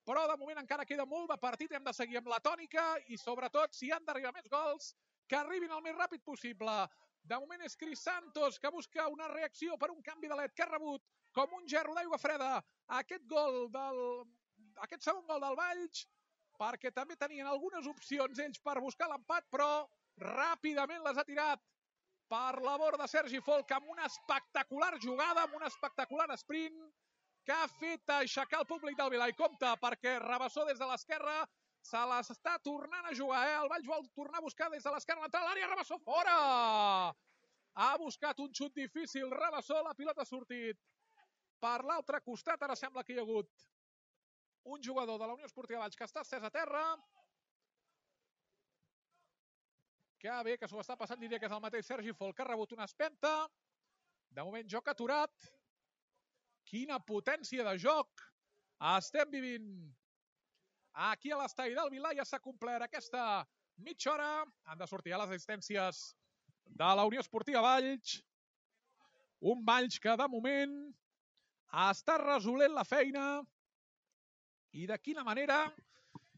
Speaker 1: però de moment encara queda molt de partit. Hem de seguir amb la tònica i sobretot, si han d'arribar més gols, que arribin el més ràpid possible. De moment és Cris Santos, que busca una reacció per un canvi de led, que ha rebut com un gerro d'aigua freda aquest segon gol del Valls, perquè també tenien algunes opcions ells per buscar l'empat, però ràpidament les ha tirat per la borda Sergi Folk amb una espectacular jugada, amb un espectacular sprint que ha fet aixecar el públic del Vilà. I compte, perquè Rabassó des de l'esquerra se l'està tornant a jugar. El Valls vol tornar a buscar des de l'esquerra l'entrada a l'àrea. Rabassó fora! Ha buscat un xut difícil Rabassó, la pilota ha sortit per l'altre costat. Ara sembla que hi ha hagut un jugador de la Unió Esportiva Valls que està estès a terra. Que bé que s'ho està passant, diria que és el mateix Sergi Folk, que ha rebut una espenta. De moment joc aturat. Quina potència de joc estem vivint aquí a l'estadi del Vilà. Ja s'ha complert aquesta mitja hora. Han de sortir a les assistències de la Unió Esportiva Valls. Un Valls que de moment està resolent la feina. I de quina manera?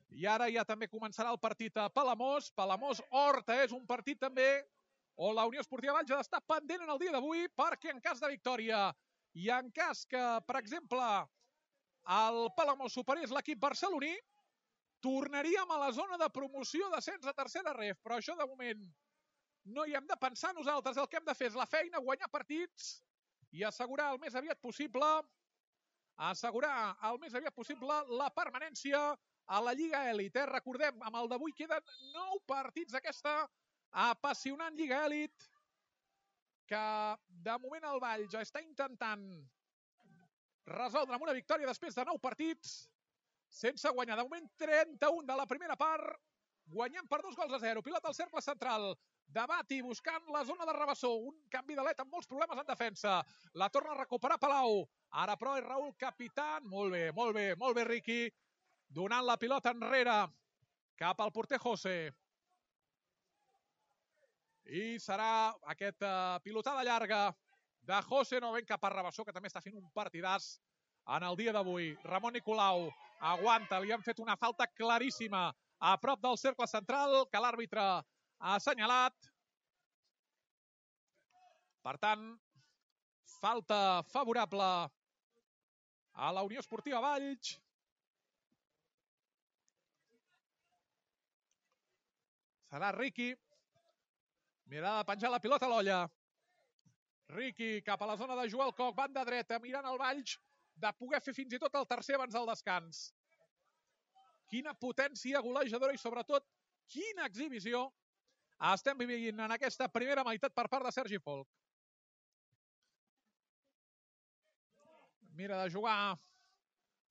Speaker 1: I ara ja també començarà el partit a Palamós. Palamós-Horta és un partit també on la Unió Esportiva Valls ha d'estar pendent en el dia d'avui, perquè en cas de victòria i en cas que, per exemple, el Palamós superés l'equip barceloní, tornaríem a la zona de promoció d'ascens a tercera ref. Però això de moment no hi hem de pensar nosaltres. El que hem de fer és la feina, guanyar partits i assegurar el més aviat possible la permanència a la Lliga Elit. Recordem, amb el d'avui queden 9 partits d'aquesta apassionant Lliga Elit, que de moment el Valls ja està intentant resoldre amb una victòria després de 9 partits sense guanyar. De moment 31 de la primera part, guanyant per 2-0. Pilota al cercle central de Bati, buscant la zona de Rabassó. Un canvi de led amb molts problemes en defensa. La torna a recuperar Palau. Ara però és Raúl Capitán. Molt bé, Riqui. Donant la pilota enrere cap al porter José. I serà aquesta pilotada llarga de José, novament cap a Rabassó, que també està fent un partidàs en el dia d'avui. Ramon Nicolau aguanta, li han fet una falta claríssima a prop del cercle central, que l'àrbitre ha assenyalat. Per tant, falta favorable a la Unió Esportiva Valls. Serà Riqui. Mirada de penjar la pilota a l'olla. Riqui cap a la zona de Joel Coc, banda dreta, mirant el Valls, de poder fer fins i tot el tercer abans del descans. Quina potència golejadora i sobretot quina exhibició estem vivint en aquesta primera meitat per part de Sergi Folch. Mira de jugar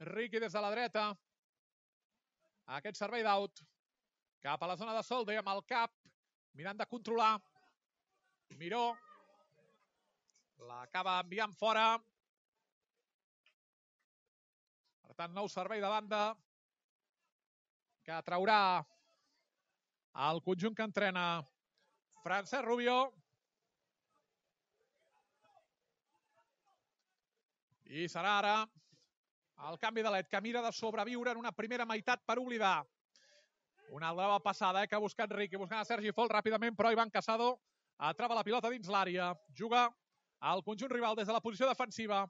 Speaker 1: Riqui des de la dreta. Aquest servei d'aut cap a la zona de Solde amb el cap, mirant de controlar. Miró l'acaba enviant fora. Per tant, nou servei de banda que traurà el conjunt que entrena Francesc Rubio. I serà ara el canvi de led que mira de sobreviure en una primera meitat per oblidar. Una altra passada que ha buscat Riqui, buscant a Sergi Folch ràpidament, però Ivan Casado atrapa la pilota dins l'àrea. Juga al conjunt rival des de la posició defensiva.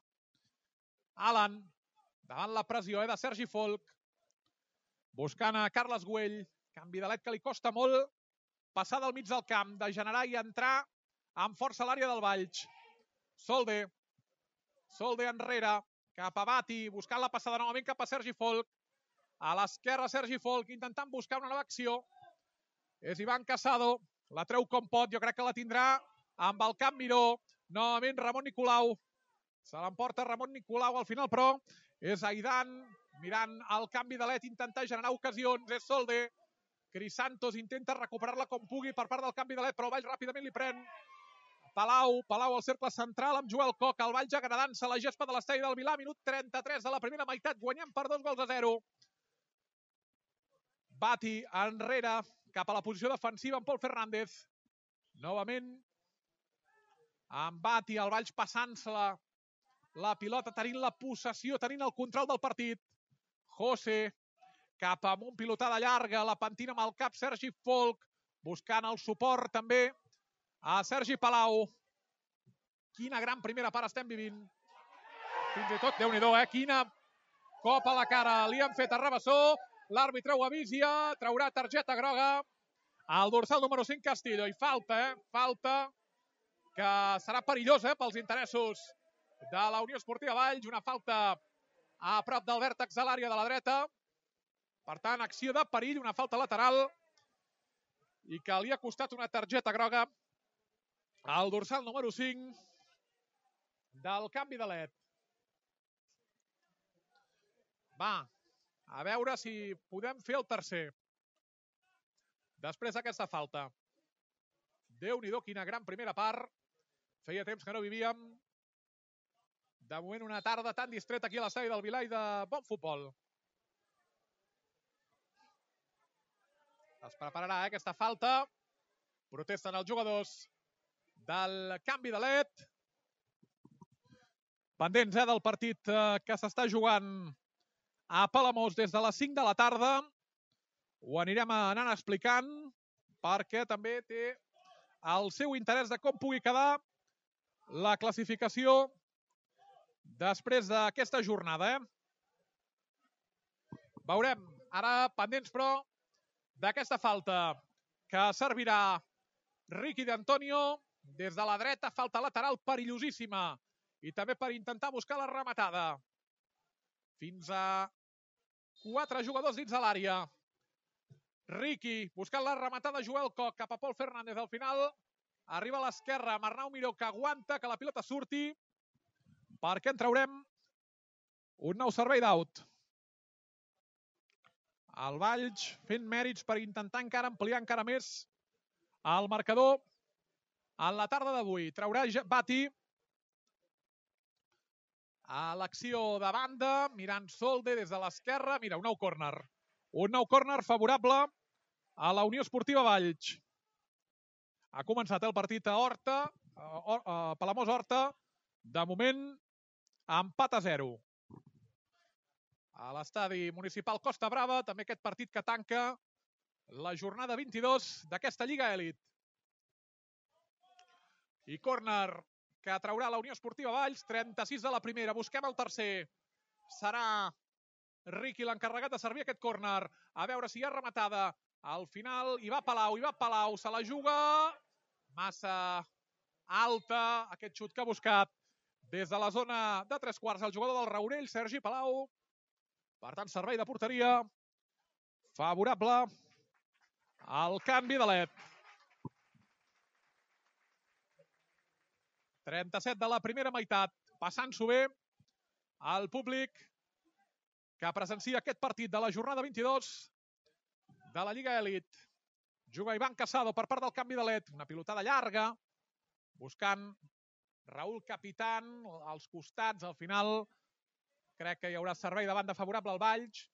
Speaker 1: Alan, davant la pressió de Sergi Folch, buscant a Carles Güell. Canvi de led que li costa molt passar del mig del camp, de generar i entrar amb força a l'àrea del Valls. Solde enrere, cap a Bati, buscant la passada novament cap a Sergi Folch. A l'esquerra Sergi Folch, intentant buscar una nova acció. És Ivan Casado, la treu com pot, jo crec que la tindrà amb el camp Miró. Novament Ramon Nicolau, se l'emporta Ramon Nicolau al final, però és Aidan, mirant el canvi de led, intentar generar ocasions, és Solde. Cris Santos intenta recuperar-la com pugui per part del canvi de led, però el Valls ràpidament li pren. Palau al cercle central amb Joel Coc, el Valls agradant-se la gespa de l'estadi del Vilà, minut 33 de la primera meitat, guanyant per 2-0. Bati enrere, cap a la posició defensiva amb Pol Fernández. Novament, amb Bati, el Valls passant-se la pilota, tenint la possessió, tenint el control del partit. José, cap amunt, pilotada llarga, la pentina amb el cap, Sergi Folch, buscant el suport també a Sergi Palau. Quina gran primera part estem vivint. Fins i tot, Déu-n'hi-do, quina cop a la cara li han fet a Rabassó. L'àrbitre ho avisia, traurà targeta groga al dorsal número 5 Castillo. I falta que serà perillosa pels interessos de la Unió Esportiva Valls. Una falta a prop del vèrtex de l'àrea de la dreta. Per tant, acció de perill, una falta lateral i que li ha costat una targeta groga al dorsal número 5 del canvi de led. Va, a veure si podem fer el tercer després d'aquesta falta. Déu-n'hi-do, quina gran primera part. Feia temps que no vivíem. De moment, una tarda tan distreta aquí a l'estadi del Vilà i de bon futbol. Es prepararà aquesta falta. Protesten els jugadors del canvi de led. Pendents del partit que s'està jugant a Palamós des de les 5 de la tarda. Ho anirem anant explicant perquè també té el seu interès de com pugui quedar la classificació després d'aquesta jornada. Veurem ara pendents, però, d'aquesta falta que servirà Riqui d'Antonio des de la dreta, falta lateral perillosíssima i també per intentar buscar la rematada. Fins a 4 jugadors dins de l'àrea. Riqui buscant la rematada, Joel Coc cap a Pol Fernández. Al final arriba a l'esquerra amb Arnau Miró, que aguanta que la pilota surti perquè en traurem un nou servei d'aut. El Valls fent mèrits per intentar encara ampliar encara més el marcador en la tarda d'avui. Traurà Bati a l'acció de banda, mirant Solde des de l'esquerra. Mira, un nou córner. Un nou córner favorable a la Unió Esportiva Valls. Ha començat el partit a Horta, a Palamós-Horta. De moment, empat a 0. A l'estadi municipal Costa Brava, també aquest partit que tanca la jornada 22 d'aquesta Lliga Elit. I córner que traurà la Unió Esportiva Valls, 36 de la primera. Busquem el tercer. Serà Riqui l'encarregat de servir aquest córner. A veure si hi ha rematada. Al final hi va Palau, se la juga massa alta, aquest xut que ha buscat des de la zona de 3/4 el jugador del Raurell, Sergi Palau. Per tant, servei de porteria favorable al canvi de led. 37 de la primera meitat, passant-s'ho bé al públic que presencia aquest partit de la jornada 22 de la Lliga Elit. Juga Ivan Casado per part del canvi de led, una pilotada llarga, buscant Raúl Capitán als costats. Al final crec que hi haurà servei de banda favorable al Valls.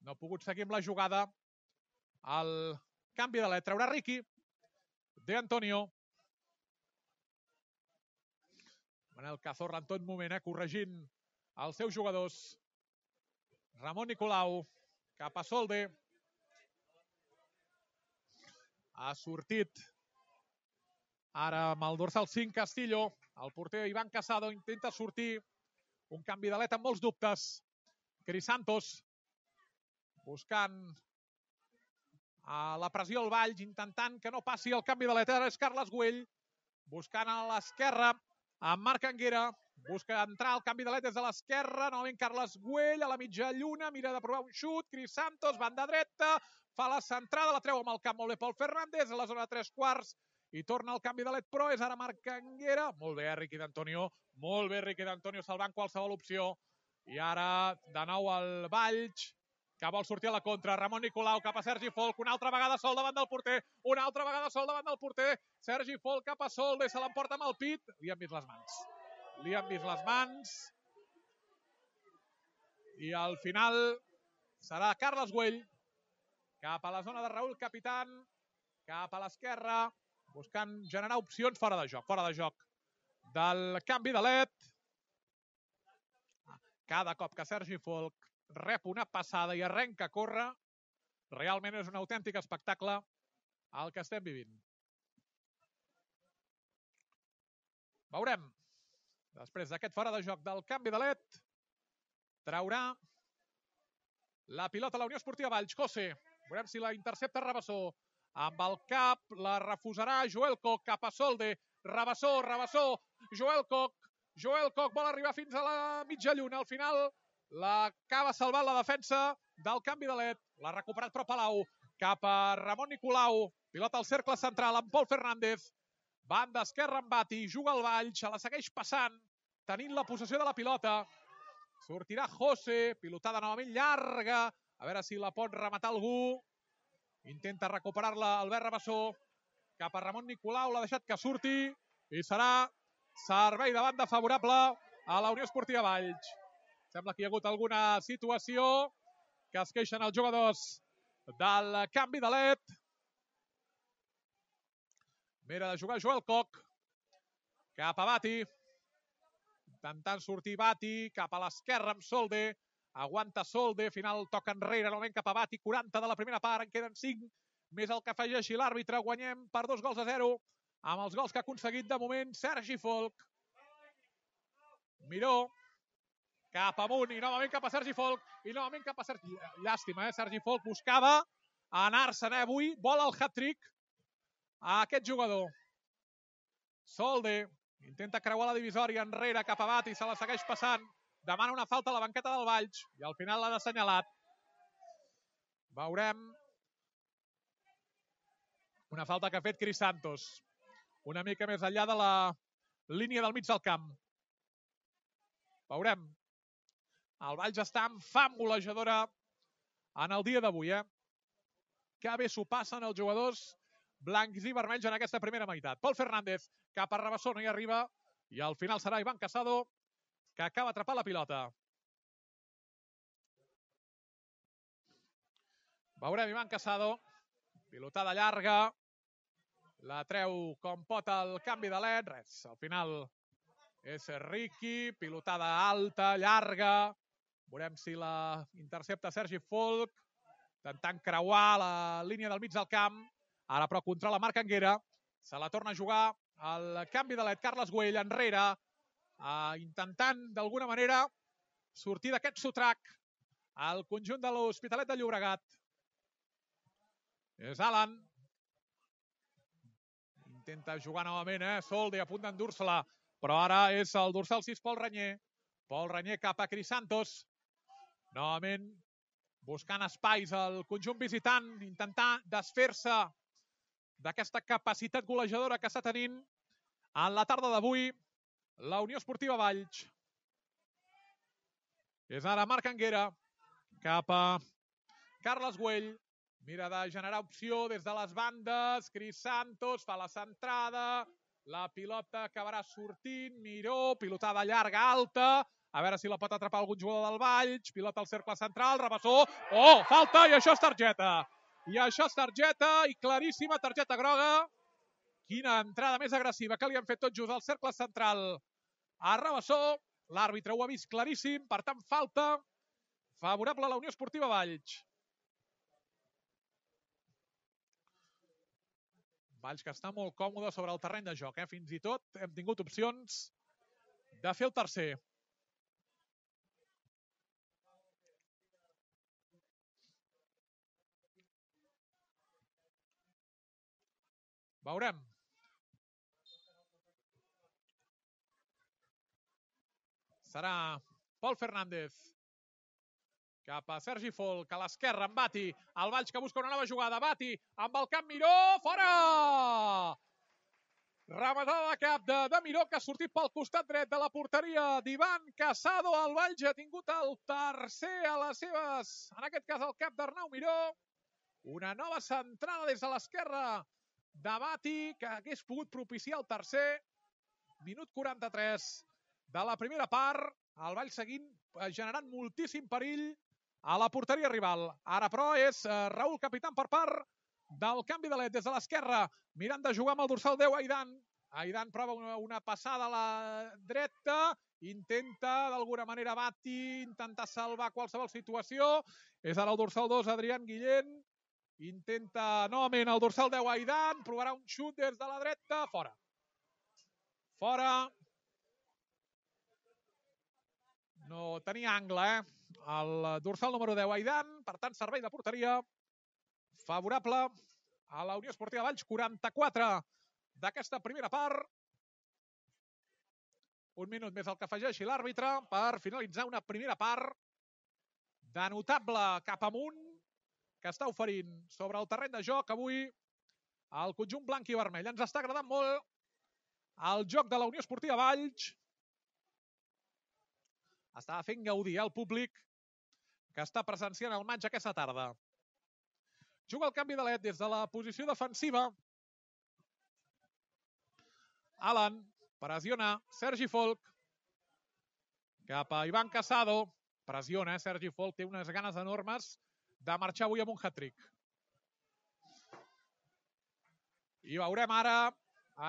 Speaker 1: No ha pogut seguir amb la jugada. El canvi de led traurà Riqui de Antonio. Manel Cazorla en tot moment, corregint els seus jugadors. Ramon Nicolau cap a Solde. Ha sortit ara amb el dorsal 5 Castillo. El porter Ivan Casado intenta sortir. Un canvi de led amb molts dubtes. Crisantos buscant la pressió al Valls, intentant que no passi el canvi de led. Ara és Carles Güell buscant a l'esquerra amb Marc Anguera. Busca entrar el canvi de led des de l'esquerra. Novament Carles Güell a la mitja lluna. Mira de provar un xut. Crisantos, banda dreta. Fa la centrada, la treu amb el camp molt bé Pol Fernández. A la zona de 3/4. I torna el canvi de led, però és ara Marc Anguera. Molt bé, Riqui d'Antonio. Molt bé, Riqui d'Antonio, salvant qualsevol opció. I ara, de nou, el Valls, que vol sortir a la contra. Ramon Nicolau cap a Sergi Folk. Una altra vegada sol davant del porter. Una altra vegada sol davant del porter. Sergi Folk cap a Solde. Se l'emporta amb el pit. Li han vist les mans. Li han vist les mans. I al final serà Carles Güell cap a la zona de Raúl Capitán. Cap a l'esquerra. Buscant generar opcions fora de joc. Fora de joc del canvi de led. Cada cop que Sergi Folk rep una passada i arrenca a córrer, realment és un autèntic espectacle el que estem vivint. Veurem. Després d'aquest fora de joc del canvi de led, traurà la pilota a la Unió Esportiva Valls. José, veurem si la intercepta Rabassó. Amb el cap la refusarà Joel Koch cap a Solde. Rabassó, Joel Koch. Joel Koch vol arribar fins a la mitja lluna. Al final l'acaba salvant la defensa del canvi de led. L'ha recuperat però Palau. Cap a Ramon Nicolau. Pilota al cercle central amb Pol Fernández. Banda esquerra amb Bati. Juga el Valls. Se la segueix passant. Tenint la possessió de la pilota. Sortirà José. Pilotada novament llarga. A veure si la pot rematar algú. Intenta recuperar-la Albert Rabassó. Cap a Ramon Nicolau. L'ha deixat que surti. I serà servei de banda favorable a la Unió Esportiva Valls. Sembla que hi ha hagut alguna situació que es queixen els jugadors del canvi de led. Mira de jugar Joel Koch. Cap a Bati. Intentant sortir Bati. Cap a l'esquerra amb Solde. Aguanta Solde. Final toca enrere. Novament cap a Bati. 40 de la primera part. En queden 5. Més el que afegeixi l'àrbitre. Guanyem per 2-0. Amb els gols que ha aconseguit de moment Sergi Folk. Miró. Cap amunt i novament cap a Sergi Folk. I novament cap a Sergi... Llàstima, Sergi Folk buscava anar-se'n avui. Vol el hat-trick a aquest jugador. Solde intenta creuar la divisòria enrere cap a Bati. Se la segueix passant. Demana una falta a la banqueta del Valls. I al final l'ha assenyalat. Veurem. Una falta que ha fet Crisantos. Una mica més enllà de la línia del mig del camp. Veurem. El Valls està en fam golejadora en el dia d'avui. Que bé s'ho passen els jugadors blancs i vermells en aquesta primera meitat. Pol Fernández cap a Rabassó, no hi arriba. I al final serà Ivan Casado que acaba atrapant la pilota. Veurem Ivan Casado. Pilotada llarga. La treu com pot el canvi de led. Res, al final és Riqui. Pilotada alta, llarga. Veurem si la intercepta Sergi Folk. Intentant creuar la línia del mig del camp. Ara però controla Marc Anguera. Se la torna a jugar el canvi de led. Carles Güell enrere. Intentant d'alguna manera sortir d'aquest sotrac al conjunt de l'Hospitalet de Llobregat. És Alan. Intenta jugar novament, Soldi a punt d'endur-se-la. Però ara és el dorsal 6, Pol Renyer. Pol Renyer cap a Crisantos. Novament buscant espais al conjunt visitant, intentar desfer-se d'aquesta capacitat golejadora que està tenint en la tarda d'avui la Unió Esportiva Valls. És ara Marc Anguera cap a Carles Güell. Mira de generar opció des de les bandes. Crisantos fa la centrada. La pilota acabarà sortint. Miró, pilotada llarga, alta. A veure si la pot atrapar algun jugador del Valls. Pilota al cercle central, Rabassó. Oh, falta, i això és targeta. I això és targeta, i claríssima targeta groga. Quina entrada més agressiva que li han fet tot just al cercle central a Rabassó. L'àrbitre ho ha vist claríssim, per tant, falta favorable a la Unió Esportiva Valls. Valls que està molt còmode sobre el terreny de joc. Fins i tot hem tingut opcions de fer el tercer. Veurem. Serà Pol Fernández cap a Sergi Folk, a l'esquerra, amb Bati. El Valls que busca una nova jugada. Bati amb el cap Miró. Fora! Rematada de cap de Miró, que ha sortit pel costat dret de la porteria d'Ivan Casado. El Valls ha tingut el tercer a les seves, en aquest cas el cap d'Arnau Miró. Una nova centrada des de l'esquerra de Bati, que hagués pogut propiciar el tercer. Minut 43 de la primera part. El Valls seguint generant moltíssim perill a la porteria rival. Ara, però, és Raül Capitán per part del canvi de led des de l'esquerra, mirant de jugar amb el dorsal 10, Aidan. Aidan prova una passada a la dreta, intenta d'alguna manera Bati, intentar salvar qualsevol situació. És ara el dorsal 2, Adrián Guillén. Intenta novament el dorsal 10, Aidan. Provarà un xut des de la dreta. Fora. Fora. No tenia angle, el dorsal número 10, Aidan. Per tant, servei de porteria favorable a la Unió Esportiva Valls. 44 d'aquesta primera part. Un minut més el que afegeixi l'àrbitre per finalitzar una primera part de notable cap amunt que està oferint sobre el terreny de joc avui el conjunt blanc i vermell. Ens està agradant molt el joc de la Unió Esportiva Valls. Estava fent gaudir el públic que està presenciant el maig aquesta tarda. Juga el canvi de led des de la posició defensiva. Alan pressiona Sergi Folk cap a Ivan Casado. Pressiona, Sergi Folk té unes ganes enormes de marxar avui amb un hat-trick. I veurem ara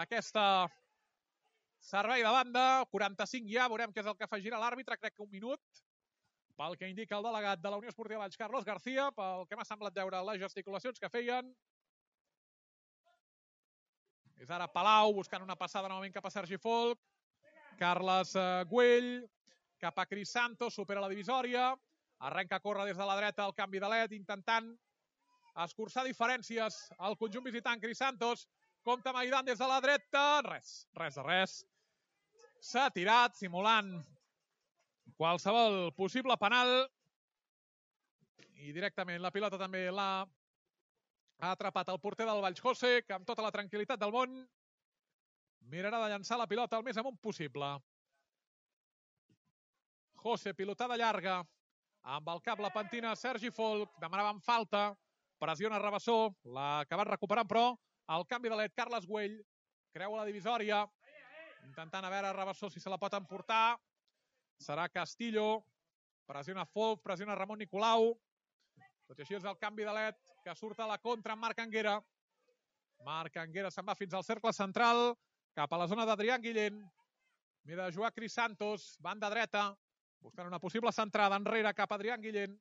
Speaker 1: aquesta servei de banda. 45 ja, veurem què és el que afegirà l'àrbitre. Crec que un minut, pel que indica el delegat de la Unió Esportiva Valls, Carlos García, pel que m'ha semblat veure les gesticulacions que feien. És ara Palau buscant una passada novament cap a Sergi Folk. Carles Güell cap a Crisantos, supera la divisòria. Arrenca a córrer des de la dreta el canvi de led, intentant escurçar diferències al conjunt visitant. Crisantos compta amb Aidan des de la dreta. Res. S'ha tirat, simulant qualsevol possible penal. I directament la pilota també l'ha atrapat el porter del Valls, José, que amb tota la tranquil·litat del món mirarà de llançar la pilota el més amunt possible. José, pilotada llarga, amb el cap la pentina Sergi Folk, demanaven falta, pressiona Rabassó, l'ha acabat recuperant, però el canvi de led, Carles Güell, creua la divisòria, intentant a veure Rabassó si se la pot emportar. Serà Castillo, pressiona Folk, pressiona Ramon Nicolau. Tot i així és el canvi de led que surt a la contra amb Marc Anguera. Marc Anguera se'n va fins al cercle central, cap a la zona d'Adrián Guillén. Mira de jugar Crisantos, banda dreta, buscant una possible centrada enrere cap a Adrián Guillén.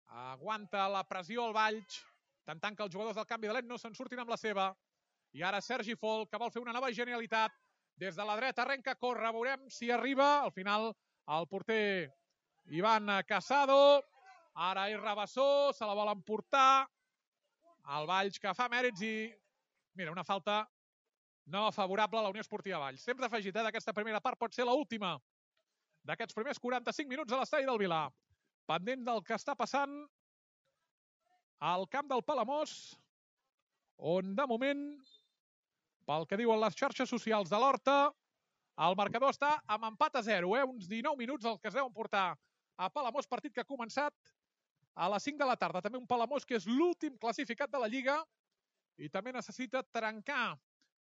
Speaker 1: Aguanta la pressió al Valls, intentant que els jugadors del canvi de led no se'n surtin amb la seva. I ara Sergi Folk, que vol fer una nova genialitat. Des de la dreta arrenca a córrer, veurem si arriba. Al final el porter Ivan Casado. Ara és Rabassó, se la vol emportar. El Valls que fa mèrits i... Mira, una falta no favorable a la Unió Esportiva Valls. Temps afegit d'aquesta primera part pot ser l'última d'aquests primers 45 minuts a l'estadi del Vilar. Pendent del que està passant al camp del Palamós, on de moment, pel que diuen les xarxes socials de l'Horta, el marcador està amb empat a 0, uns 19 minuts els que es deuen portar a Palamós, partit que ha començat a les 5 de la tarda. També un Palamós que és l'últim classificat de la Lliga i també necessita trencar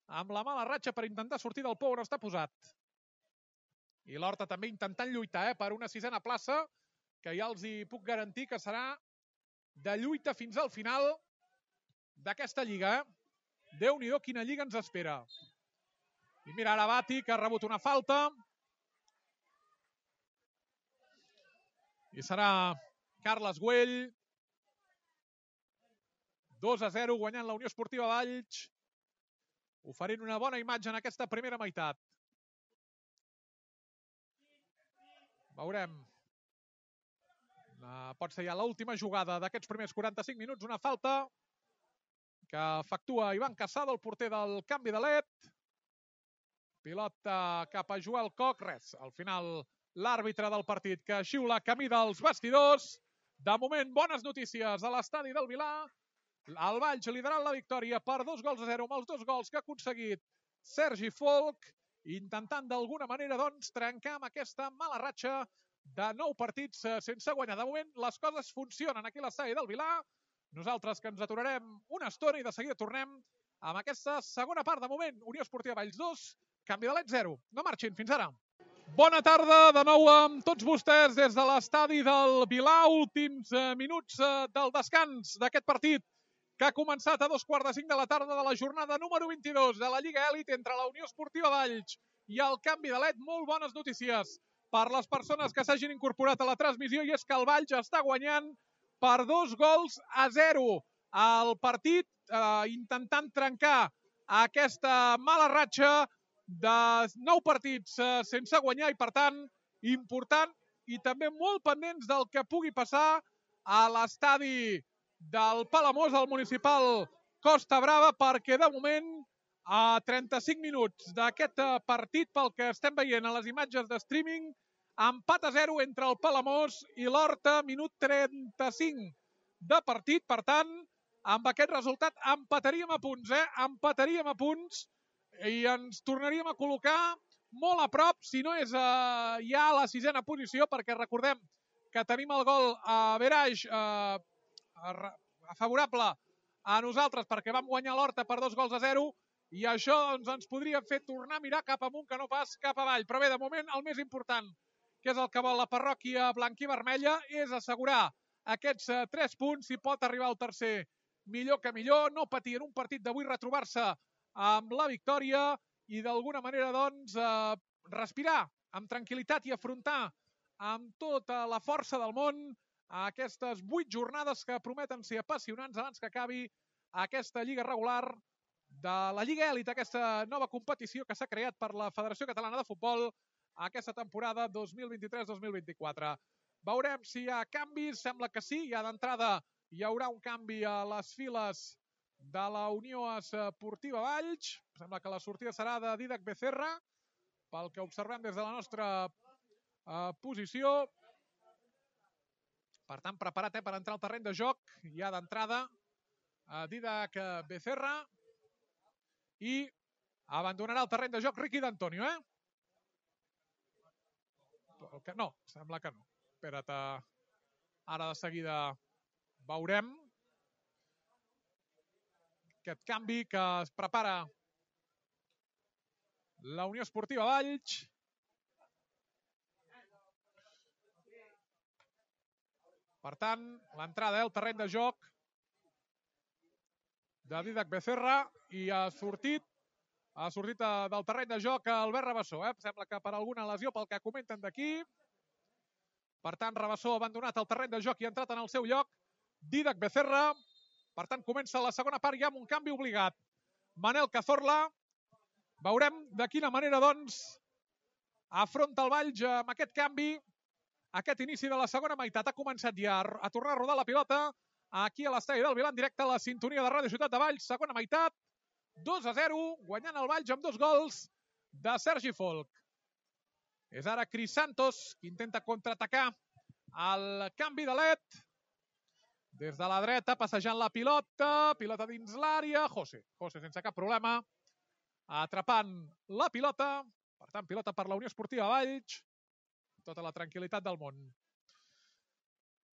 Speaker 1: amb la mala ratxa per intentar sortir del pou on està posat. I l'Horta també intentant lluitar per una sisena plaça, que ja els hi puc garantir que serà de lluita fins al final d'aquesta Lliga. Déu-n'hi-do quina Lliga ens espera. I mira ara Bati, que ha rebut una falta. I serà Carles Güell. 2-0 guanyant la Unió Esportiva Valls, oferint una bona imatge en aquesta primera meitat. Veurem. Pot ser ja l'última jugada d'aquests primers 45 minuts. Una falta que efectua Ivan Casado, el porter del canvi de led. Pilota cap a Joel Koch. Res, al final l'àrbitre del partit que xiula camí dels vestidors. De moment, bones notícies a l'estadi del Vilar. El Valls liderant la victòria per 2-0 amb els 2 gols que ha aconseguit Sergi Folch, intentant d'alguna manera doncs trencar amb aquesta mala ratxa de 9 partits sense guanyar. De moment les coses funcionen aquí a l'estadi del Vilar. Nosaltres que ens aturarem una estona i de seguida tornem amb aquesta segona part. De moment, Unió Esportiva Valls 2, canvi de led 0. No marxin, fins ara. Bona tarda de nou amb tots vostès des de l'estadi del Vilar. Últims minuts del descans d'aquest partit que ha començat a 2:45 de la tarda de la jornada número 22 de la Lliga Elit entre la Unió Esportiva Valls i el canvi de led. Molt bones notícies per les persones que s'hagin incorporat a la transmissió, i és que el Valls està guanyant per 2-0 el partit, intentant trencar aquesta mala ratxa de 9 partits sense guanyar, i per tant important i també molt pendents del que pugui passar a l'estadi del Palamós, al municipal Costa Brava, perquè de moment a 35 minuts d'aquest partit, pel que estem veient a les imatges de streaming, empat a 0 entre el Palamós i l'Horta, minut 35 de partit. Per tant, amb aquest resultat empataríem a punts, empataríem a punts i ens tornaríem a col·locar molt a prop, si no és ja a la 6a posició, perquè recordem que tenim el gol a Verage favorable a nosaltres perquè vam guanyar l'Horta per 2-0, i això ens podria fer tornar a mirar cap amunt que no pas cap avall. Però bé, de moment el més important, que és el que vol la parròquia blanquivermella, és assegurar aquests 3 punts. Si pot arribar al tercer, millor que millor. No patir en un partit d'avui, retrobar-se amb la victòria i d'alguna manera doncs respirar amb tranquil·litat i afrontar amb tota la força del món aquestes 8 jornades que prometen ser apassionants abans que acabi aquesta lliga regular de la Lliga Elit, aquesta nova competició que s'ha creat per la Federació Catalana de Futbol aquesta temporada 2023-2024. Veurem si hi ha canvis, sembla que sí. Ja d'entrada hi haurà un canvi a les files de la Unió Esportiva Valls. Sembla que la sortida serà de Dídac Becerra, pel que observem des de la nostra posició. Per tant, preparat per entrar al terreny de joc, ja d'entrada Dídac Becerra, i abandonarà el terreny de joc Riqui d'Antonio, No, sembla que no. Espera't, ara de seguida veurem aquest canvi que es prepara la Unió Esportiva Valls. Per tant, l'entrada al terreny de joc de Dídac Becerra, i ha sortit del terreny de joc Albert Rabassó. Sembla que per alguna lesió, pel que comenten d'aquí. Per tant, Rabassó ha abandonat el terreny de joc i ha entrat en el seu lloc Dídac Becerra. Per tant, comença la segona part ja amb un canvi obligat. Manel Cazorla. Veurem de quina manera, doncs, afronta el Valls amb aquest canvi. Aquest inici de la segona meitat ha començat ja a tornar a rodar la pilota aquí a l'estadi del Vilà, en directe a la sintonia de Ràdio Ciutat de Valls, segona meitat, 2-0, guanyant el Valls amb 2 gols de Sergi Folch. És ara Cris Santos, que intenta contraatacar el canvi de led. Des de la dreta, passejant la pilota dins l'àrea, José sense cap problema, atrapant la pilota, per tant, pilota per la Unió Esportiva Valls, tota la tranquil·litat del món.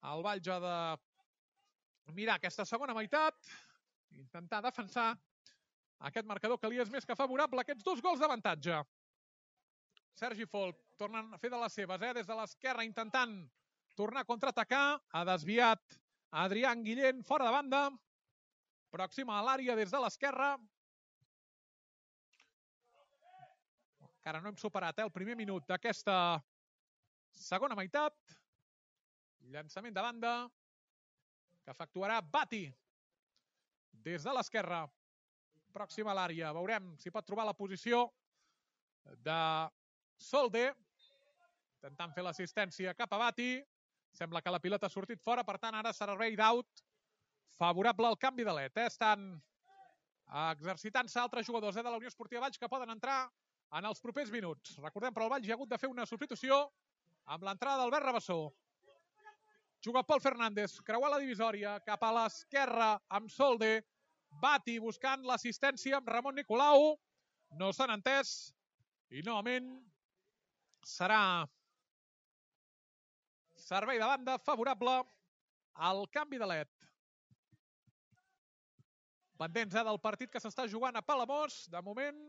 Speaker 1: El Valls ha de mirar aquesta segona meitat, intentar defensar aquest marcador que li és més que favorable, aquests 2 gols d'avantatge. Sergi Folch tornen a fer de les seves, des de l'esquerra, intentant tornar a contraatacar, ha desviat Adrián Guillén fora de banda, pròxima a l'àrea des de l'esquerra. Encara no hem superat el primer minut d'aquesta segona meitat. Llançament de banda que efectuarà Bati des de l'esquerra, pròxima a l'àrea. Veurem si pot trobar la posició de Solde, intentant fer l'assistència cap a Bati. Sembla que la pilota ha sortit fora, per tant, ara servei d'out favorable al canvi de led. Estan exercitant-se altres jugadors de la Unió Esportiva Valls que poden entrar en els propers minuts. Recordem, però el Valls ha hagut de fer una substitució amb l'entrada d'Albert Rabassó. Juga Pol Fernández, creuar la divisòria cap a l'esquerra amb Solde. Bati buscant l'assistència amb Ramon Nicolau. No s'han entès i novament serà servei de banda favorable al canvi de led. Pendents del partit que s'està jugant a Palamós. De moment,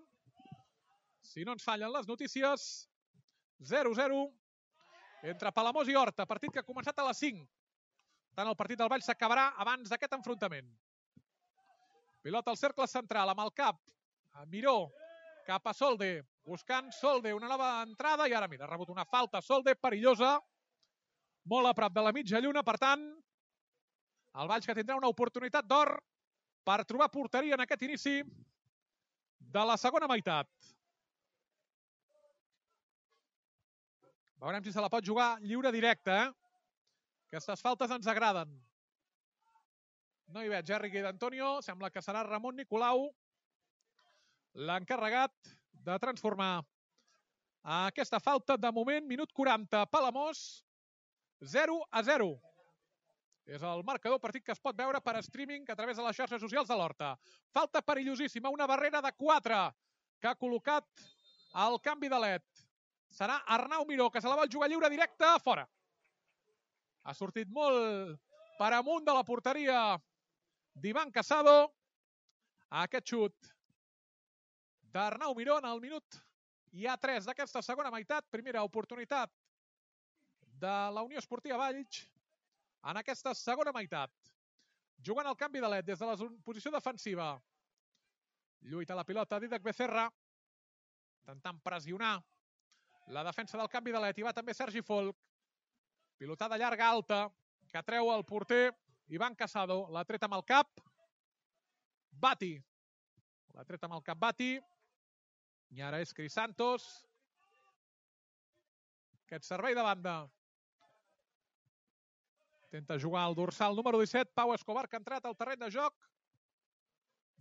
Speaker 1: si no ens fallen les notícies, 0-0 entre Palamós i Horta. Partit que ha començat a les 5. Tant el partit del Valls s'acabarà abans d'aquest enfrontament. Pilota al cercle central amb el cap. Miró cap a Solde. Buscant Solde, una nova entrada. I ara, mira, ha rebut una falta Solde perillosa. Molt a prop de la mitja lluna, per tant, el Valls que tindrà una oportunitat d'or per trobar porteria en aquest inici de la segona meitat. Veurem si se la pot jugar lliure directe. Aquestes faltes ens agraden. No hi veig Riqui d'Antonio. Sembla que serà Ramon Nicolau l'encarregat de transformar aquesta falta. De moment, minut 40, Palamós 0-0. És el marcador, partit que es pot veure per streaming a través de les xarxes socials de l'Horta. Falta perillosíssima, una barrera de 4 que ha col·locat el canvi de led. Serà Arnau Miró, que se la vol jugar lliure directe, fora. Ha sortit molt per amunt de la porteria d'Ivan Casado. Aquest xut d'Arnau Miró en el minut hi ha 3 d'aquesta segona meitat. Primera oportunitat de la Unió Esportiva Valls en aquesta segona meitat. Jugant el canvi de led des de la posició defensiva. Lluita la pilota Dídac Becerra, intentant pressionar la defensa del canvi de led. Hi va també Sergi Folch. Pilotada llarga alta que treu el porter Ivan Casado. L'ha tret amb el cap Bati. L'ha tret amb el cap Bati. I ara és Cris Santos. Aquest servei de banda. Intenta jugar el dorsal número 17, Pau Escobar, que ha entrat al terreny de joc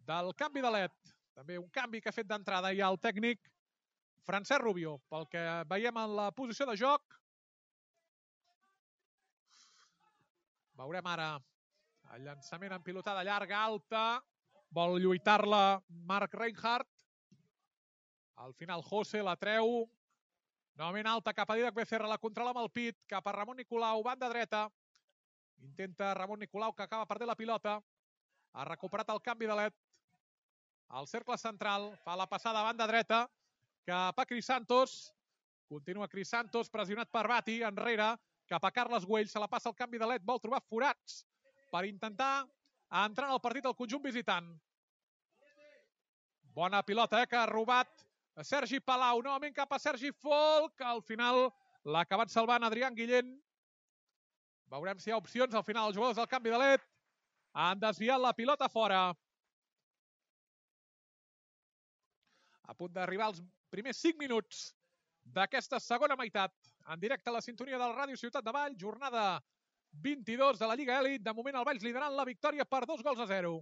Speaker 1: del canvi de led. També un canvi que ha fet d'entrada ja el tècnic Francesc Rubio. Pel que veiem en la posició de joc, veurem ara el llançament en pilotada llarga, alta. Vol lluitar-la Marc Reinhardt. Al final José la treu. Novament alta cap a Dídac Becerra, la controla amb el pit, cap a Ramon Nicolau, banda dreta. Intenta Ramon Nicolau, que acaba perdent la pilota. Ha recuperat el canvi de led. Al cercle central, fa la passada a banda dreta, cap a Cris Santos. Continua Cris Santos, pressionat per Bati, enrere, cap a Carles Güell. Se la passa el canvi de led, vol trobar forats per intentar entrar en el partit del conjunt visitant. Bona pilota, que ha robat Sergi Palau, novament cap a Sergi Folch. Al final l'ha acabat salvant Adrián Guillén. Veurem si hi ha opcions. Al final els jugadors del canvi de led han desviat la pilota fora. A punt d'arribar els primers 5 minuts d'aquesta segona meitat. En directe a la sintonia del Ràdio Ciutat de Valls. Jornada 22 de la Lliga Elit. De moment el Valls liderant la victòria per 2-0.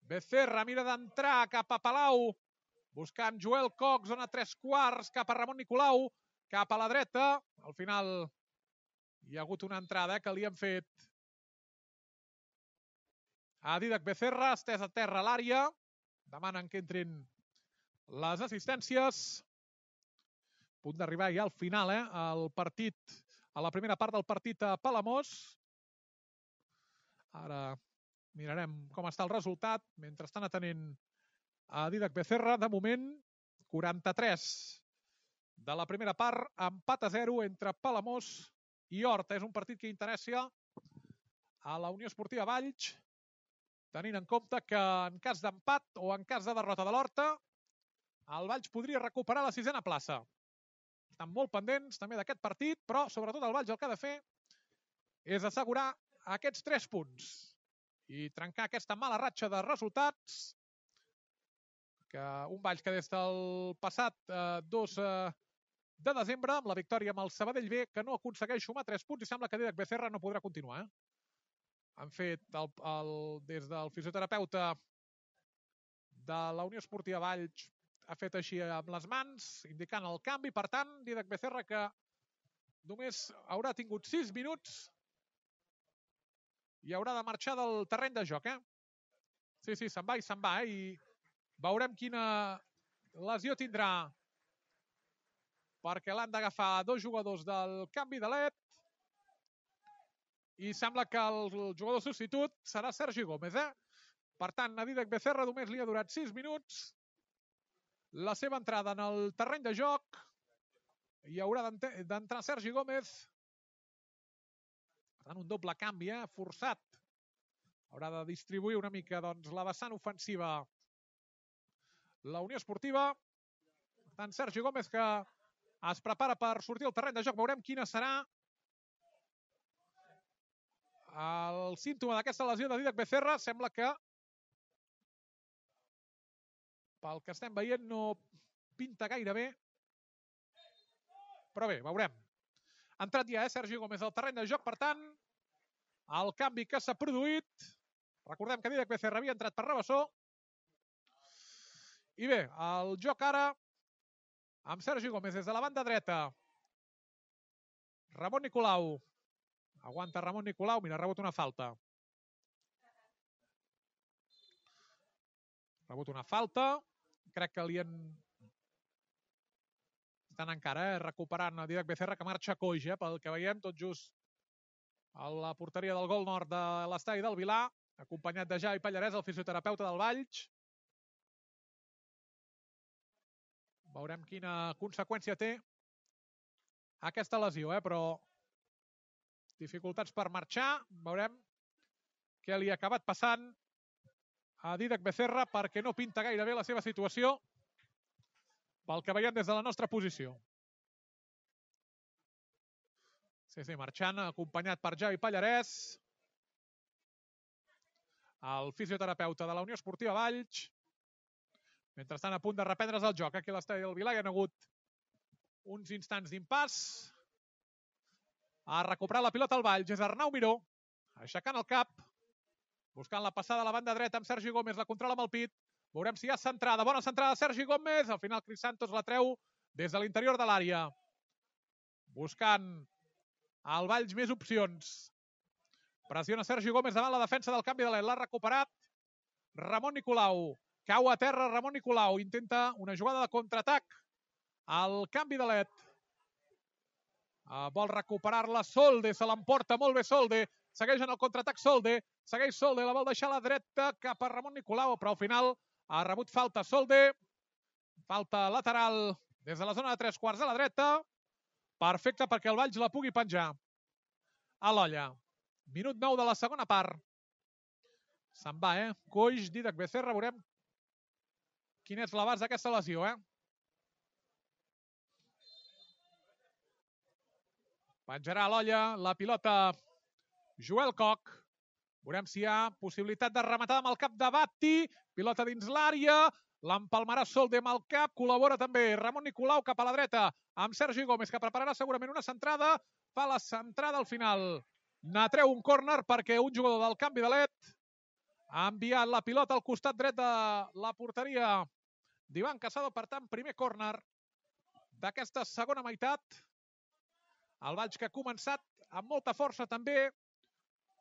Speaker 1: Becerra mira d'entrar cap a Palau, buscant Joel Cox, zona 3/4, cap a Ramon Nicolau, cap a la dreta. Al final hi ha hagut una entrada que li han fet a Dídac Becerra, estès a terra a l'àrea. Demanen que entrin les assistències. A punt d'arribar ja al final, el partit, a la primera part del partit a Palamós. Ara mirarem com està el resultat. Mentrestant atenent a Dídac Becerra. De moment, 43 de la primera part, empat a 0 entre Palamós i Horta. És un partit que interessa a la Unió Esportiva Valls, tenint en compte que en cas d'empat o en cas de derrota de l'Horta, el Valls podria recuperar la 6a plaça. Estan molt pendents també d'aquest partit, però sobretot el Valls el que ha de fer és assegurar aquests 3 punts i trencar aquesta mala ratxa de resultats, que un Valls que des del passat 2 de desembre, amb la victòria amb el Sabadell B, que no aconsegueix sumar 3 punts, i sembla que Dídac Becerra no podrà continuar. Han fet des del fisioterapeuta de la Unió Esportiva Valls, ha fet així amb les mans, indicant el canvi. Per tant, Dídac Becerra, que només haurà tingut 6 minuts i haurà de marxar del terreny de joc. Sí, se'n va i se'n va. I veurem quina lesió tindrà, perquè l'han d'agafar 2 jugadors del canvi de led. I sembla que el jugador substitut serà Sergi Gómez. Per tant, a Dídac Becerra només li ha durat 6 minuts la seva entrada en el terreny de joc, i haurà d'entrar Sergi Gómez. Per tant, un doble canvi forçat. Haurà de distribuir una mica la vessant ofensiva la Unió Esportiva. Per tant, Sergi Gómez, que es prepara per sortir al terreny de joc. Veurem quina serà el símptoma d'aquesta lesió de Dídac Becerra. Sembla que, pel que estem veient, no pinta gaire bé. Però bé, veurem. Ha entrat ja Sergi Gómez al terreny de joc. Per tant, el canvi que s'ha produït. Recordem que Dídac Becerra havia entrat per Rabassó. I bé, el joc ara amb Sergi Gómez des de la banda dreta. Ramon Nicolau. Aguanta Ramon Nicolau. Mira, ha rebut una falta. Ha rebut una falta. Crec que li han... Estan encara recuperant a Dídac Becerra, que marxa coix, pel que veiem, tot just a la porteria del gol nord de l'estadi del Vilar, acompanyat de Javi Pallarès, el fisioterapeuta del Valls. Veurem quina conseqüència té aquesta lesió, però dificultats per marxar. Veurem què li ha acabat passant a Dídac Becerra, perquè no pinta gaire bé la seva situació, pel que veiem des de la nostra posició. Sí, marxant, acompanyat per Javi Pallarès, el fisioterapeuta de la Unió Esportiva Valls. Mentrestant, a punt de reprendre's el joc. Aquí a l'estadi del Vilar hi ha hagut uns instants d'impàs. Ha recuperat la pilota al Valls. És Arnau Miró, aixecant el cap, buscant la passada a la banda dreta amb Sergi Gómez. La controla amb el pit. Veurem si hi ha centrada. Bona centrada de Sergi Gómez. Al final, Cris Santos la treu des de l'interior de l'àrea. Buscant al Valls més opcions. Pressiona Sergi Gómez davant la defensa del canvi de led. L'ha recuperat Ramon Nicolau. Cau a terra Ramon Nicolau. Intenta una jugada de contraatac al canvi de led. Vol recuperar-la Solde. Se l'emporta molt bé Solde. Segueix en el contraatac Solde. Segueix Solde. La vol deixar a la dreta cap a Ramon Nicolau, però al final ha rebut falta Solde. Falta lateral des de la zona de 3/4 a la dreta. Perfecte perquè el Valls la pugui penjar a l'olla. Minut 9 de la segona part. Se'n va, Coix, Dídac Becerra. Veurem quin és l'abast d'aquesta lesió, Penjarà a l'olla la pilota Joel Cox. Veurem si hi ha possibilitat de rematar amb el cap de Batti. Pilota dins l'àrea. L'empalmarà Solde amb el cap. Col·labora també Ramon Nicolau cap a la dreta amb Sergi Gómez, que prepararà segurament una centrada. Fa la centrada al final N'atreu un córner perquè un jugador del canvi de led ha enviat la pilota al costat dret de la porteria d'Ivan Casado. Per tant, primer córner d'aquesta segona meitat. El Valls que ha començat amb molta força també,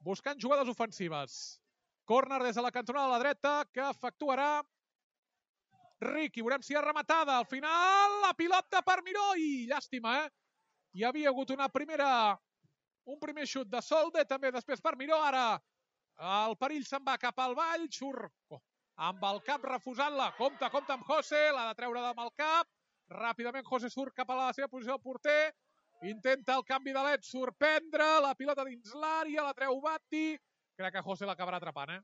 Speaker 1: buscant jugades ofensives. Córner des de la cantonada de la dreta que efectuarà Riqui. Veurem si és rematada. Al final, la pilota per Miró i llàstima, Hi havia hagut un primer xut de Solde, també després per Miró. Ara el perill se'n va cap al Valls, surt amb el cap refusant-la. Compte amb José, l'ha de treure amb el cap. Ràpidament José surt cap a la seva posició de porter. Intenta el canvi de led, sorprendre, la pilota dins l'àrea, la treu Batti. Crec que José l'acabarà atrapant,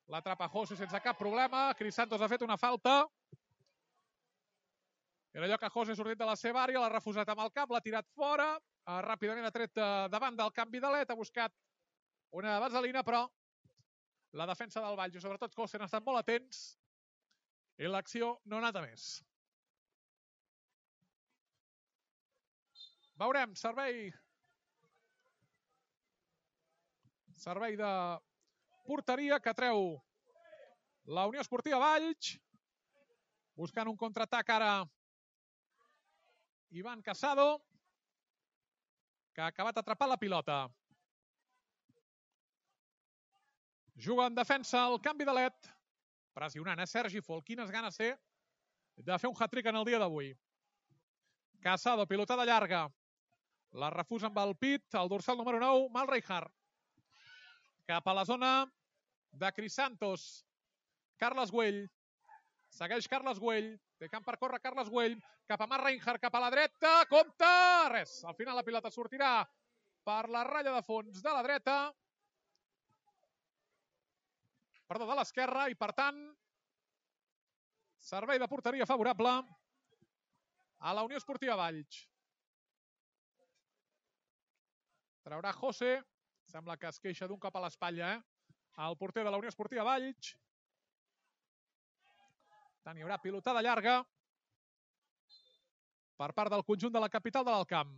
Speaker 1: L'atrapa José sense cap problema. Cris Santos ha fet una falta. Era allò que José ha sortit de la seva àrea, l'ha refusat amb el cap, l'ha tirat fora. Ràpidament ha tret davant del canvi de led, ha buscat una vaselina, però la defensa del Valls i sobretot José han estat molt atents i l'acció no ha anat a més. Veurem, servei de porteria que treu la Unió Esportiva Valls. Buscant un contraatac ara Ivan Casado, que ha acabat atrapant la pilota. Juga en defensa el canvi de led. Pressionant, Sergi Folk. Quines ganes té de fer un hat-trick en el dia d'avui. Casado, pilotada llarga. La refusa amb el pit, el dorsal número 9, Mal Reinhardt. Cap a la zona de Cris Santos. Carles Güell. Segueix Carles Güell. Té camp per córrer Carles Güell. Cap a Mal Reinhardt, cap a la dreta. Compte! Res. Al final la pilota sortirà per la ratlla de fons de la dreta. Perdó, de l'esquerra. I per tant, servei de porteria favorable a la Unió Esportiva Valls. Traurà José. Sembla que es queixa d'un cop a l'espatlla, el porter de la Unió Esportiva Valls. Tant hi haurà pilotada llarga per part del conjunt de la capital de l'Alt Camp.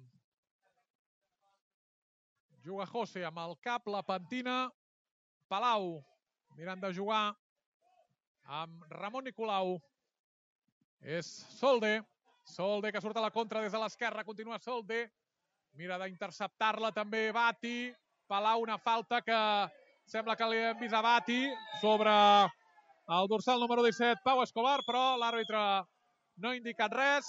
Speaker 1: Juga José amb el cap, la pentina. Palau mirant de jugar amb Ramon Nicolau. És Solde. Solde que surt a la contra des de l'esquerra. Continua Solde. Mira d'interceptar-la també Batti. Palau, una falta que sembla que li hem vist a Batti sobre el dorsal número 17, Pau Escobar, però l'àrbitre no ha indicat res.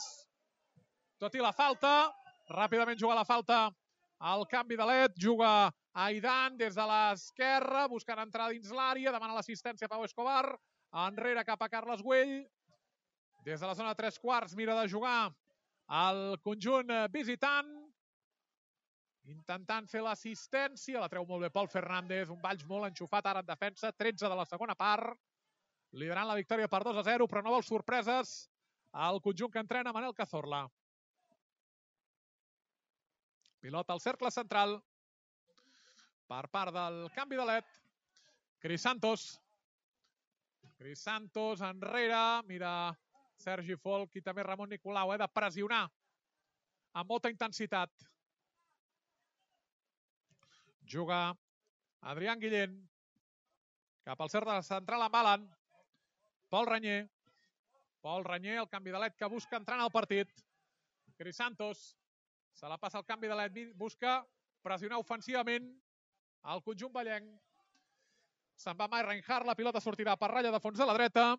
Speaker 1: Tot i la falta, ràpidament juga la falta al canvi de led, juga Aidan des de l'esquerra, buscant entrar dins l'àrea, demana l'assistència Pau Escobar, enrere cap a Carles Güell, des de la zona de 3/4 mira de jugar el conjunt visitant, intentant fer l'assistència, la treu molt bé Pol Fernández, un Valls molt enxufat ara en defensa, 13 de la segona part, liderant la victòria per 2-0, però no vol sorpreses al conjunt que entrena Manel Cazorla. Pilota al cercle central per part del canvi de led. Cris Santos. Cris Santos enrere, mira Sergi Folk i també Ramon Nicolau, de pressionar amb molta intensitat. Juga Adrián Guillén. Cap al cercle central amb Alan. Pol Renyer. Pol Renyer, el canvi de led que busca entrar en el partit. Cris Santos. Se la passa el canvi de led. Busca pressionar ofensivament el conjunt vallenc. Se'n va Mal Reinhardt. La pilota sortirà per ratlla de fons de la dreta.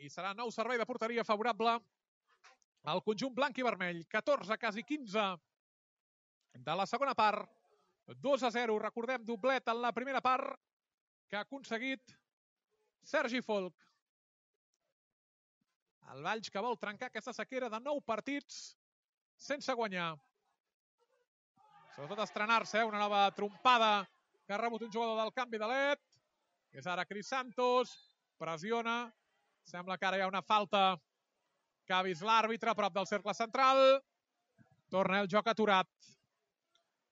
Speaker 1: I serà nou servei de porteria favorable al conjunt blanc i vermell. 14, quasi 15 de la segona part. 2-0, recordem, doblet en la primera part que ha aconseguit Sergi Folk. El Valls que vol trencar aquesta sequera de 9 partits sense guanyar. Sobretot estrenar-se, una nova trompada que ha rebut un jugador del canvi de led. És ara Cris Santos, pressiona. Sembla que ara hi ha una falta que ha vist l'àrbitre a prop del cercle central. Torna el joc aturat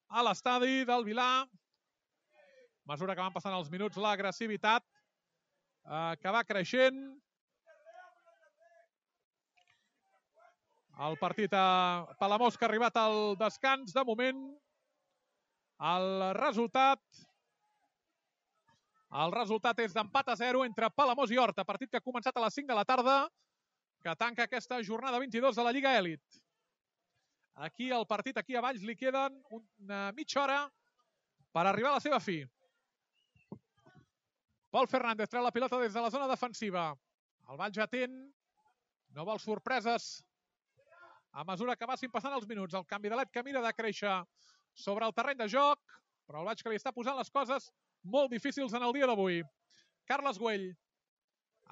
Speaker 1: a l'estadi del Vilar. A mesura que van passant els minuts, l'agressivitat que va creixent. El partit a Palamós que ha arribat al descans de moment. El resultat és d'empat a 0 entre Palamós i Horta, partit que ha començat a les 5 de la tarda, que tanca aquesta jornada 22 de la Lliga Elit. Aquí el partit, aquí a Valls, li queden una mitja hora per arribar a la seva fi. Pol Fernández treu la pilota des de la zona defensiva. El Valls atent, no vol sorpreses a mesura que vagin passant els minuts. El canvi de led que mira de créixer sobre el terreny de joc, però el Valls que li està posant les coses molt difícils en el dia d'avui. Carles Güell,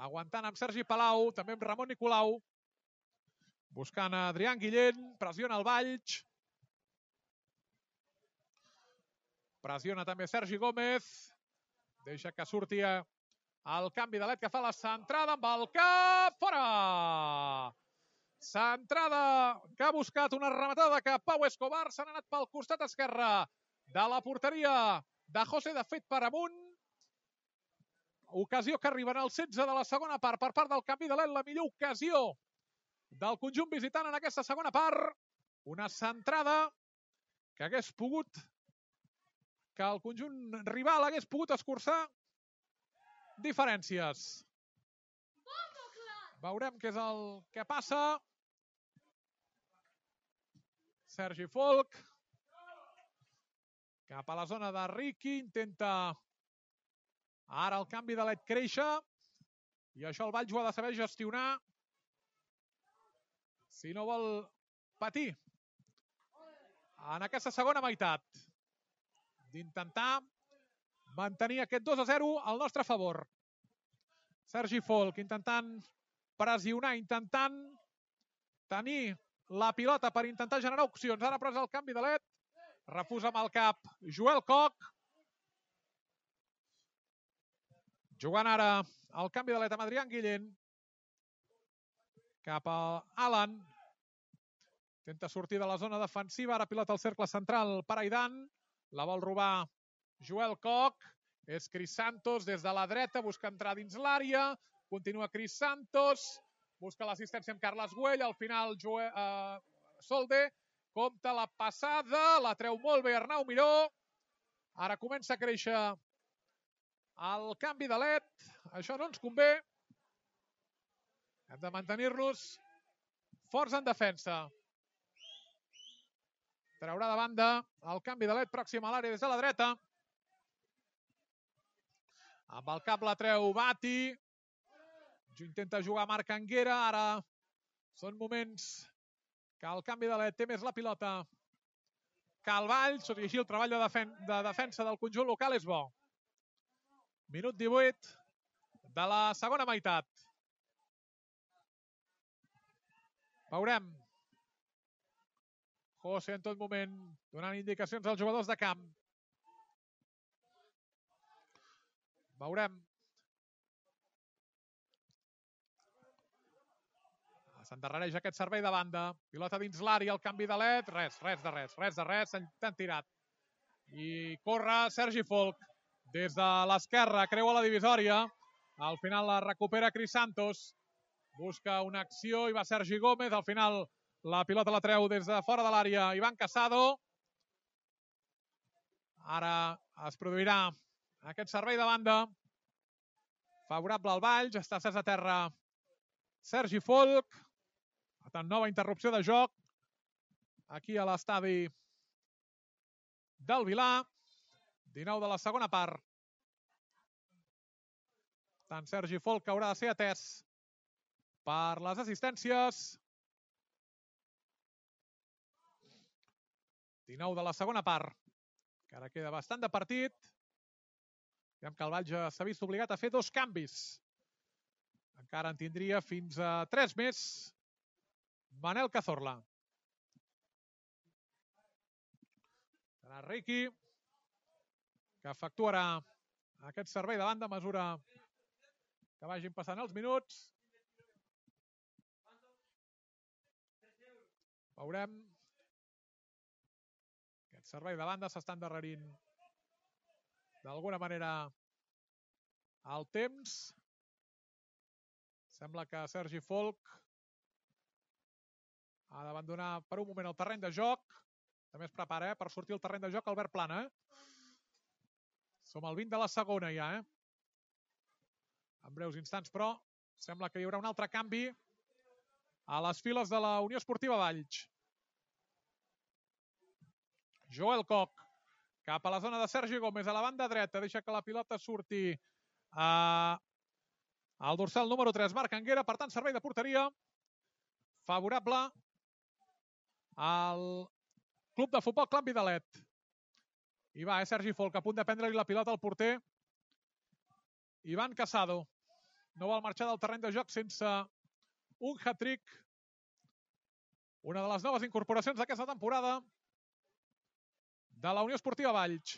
Speaker 1: aguantant amb Sergi Palau, també amb Ramon Nicolau, buscant a Adrián Guillén, pressiona el Valls. Pressiona també Sergi Gómez. Deixa que surti el canvi de led que fa la centrada amb el cap. Fora! Centrada que ha buscat una rematada que Pau Escobar s'ha anat pel costat esquerre de la porteria de José, de fet per amunt. Ocasió que arriba en el 16 de la segona part per part del canvi de led. La millor ocasió del conjunt visitant en aquesta segona part. Una centrada que hagués pogut, que el conjunt rival hagués pogut escurçar diferències. Veurem què és el que passa. Sergi Folk cap a la zona de Riqui, intenta ara el canvi de led créixer i això el Valls ho ha de saber gestionar si no vol patir en aquesta segona meitat, d'intentar mantenir aquest 2-0 al nostre favor. Sergi Folk intentant pressionar, intentant tenir la pilota per intentar generar opcions. Ara però és el canvi de led. Refusa amb el cap Joel Koch. Jugant ara el canvi de led amb Adrián Guillén. Cap a Alan. Intenta sortir de la zona defensiva. Ara pilota al cercle central per Aidan. La vol robar Joel Koch. És Cris Santos des de la dreta. Busca entrar dins l'àrea. Continua Cris Santos. Busca l'assistència amb Carles Güell. Al final Solde compta la passada. La treu molt bé Arnau Miró. Ara comença a créixer el canvi de led. Això no ens convé. Hem de mantenir-nos forts en defensa. Traurà de banda el canvi de led pròxim a l'àrea des de la dreta. Amb el cap la treu Bati. Intenta jugar Marc Anguera. Ara són moments que el canvi de led té més la pilota que el Valls. Tot i així el treball de defensa del conjunt local és bo. Minut 18 de la segona meitat. Veurem. José en tot moment donant indicacions als jugadors de camp. Veurem. S'endarrereix aquest servei de banda. Pilota dins l'àrea, el canvi de led. Res de res. S'han tirat. I corre Sergi Folk. Des de l'esquerra, creua la divisòria. Al final la recupera Cris Santos. Busca una acció i va Sergi Gómez. Al final la pilota la treu des de fora de l'àrea Iván Casado. Ara es produirà aquest servei de banda. Favorable al Valls. Està cés a terra Sergi Folk. Per tant, nova interrupció de joc aquí a l'estadi del Vilar. 19 de la segona part. Tant Sergi Folk haurà de ser atès per les assistències. 19 de la segona part. Encara queda bastant de partit. Veiem que el Valls s'ha vist obligat a fer 2 canvis. Encara en tindria fins a 3 més Manel Cazorla. Serà Riqui que efectuarà aquest servei de banda a mesura que vagin passant els minuts. Veurem. Aquest servei de banda s'està endarrerint d'alguna manera el temps. Sembla que Sergi Folk ha d'abandonar per un moment el terreny de joc. També es prepara per sortir al terreny de joc Albert Plana. Som al 20 de la segona ja. En breus instants, però, sembla que hi haurà un altre canvi a les files de la Unió Esportiva Valls. Joel Koch cap a la zona de Sergi Gómez a la banda dreta. Deixa que la pilota surti al dorsal número 3, Marc Anguera. Per tant, servei de porteria favorable al Club de Futbol Can Vidalet. I va, Sergi Folk, a punt de prendre-li la pilota al porter Ivan Casado. No vol marxar del terreny de joc sense un hat-trick. Una de les noves incorporacions d'aquesta temporada de la Unió Esportiva Valls.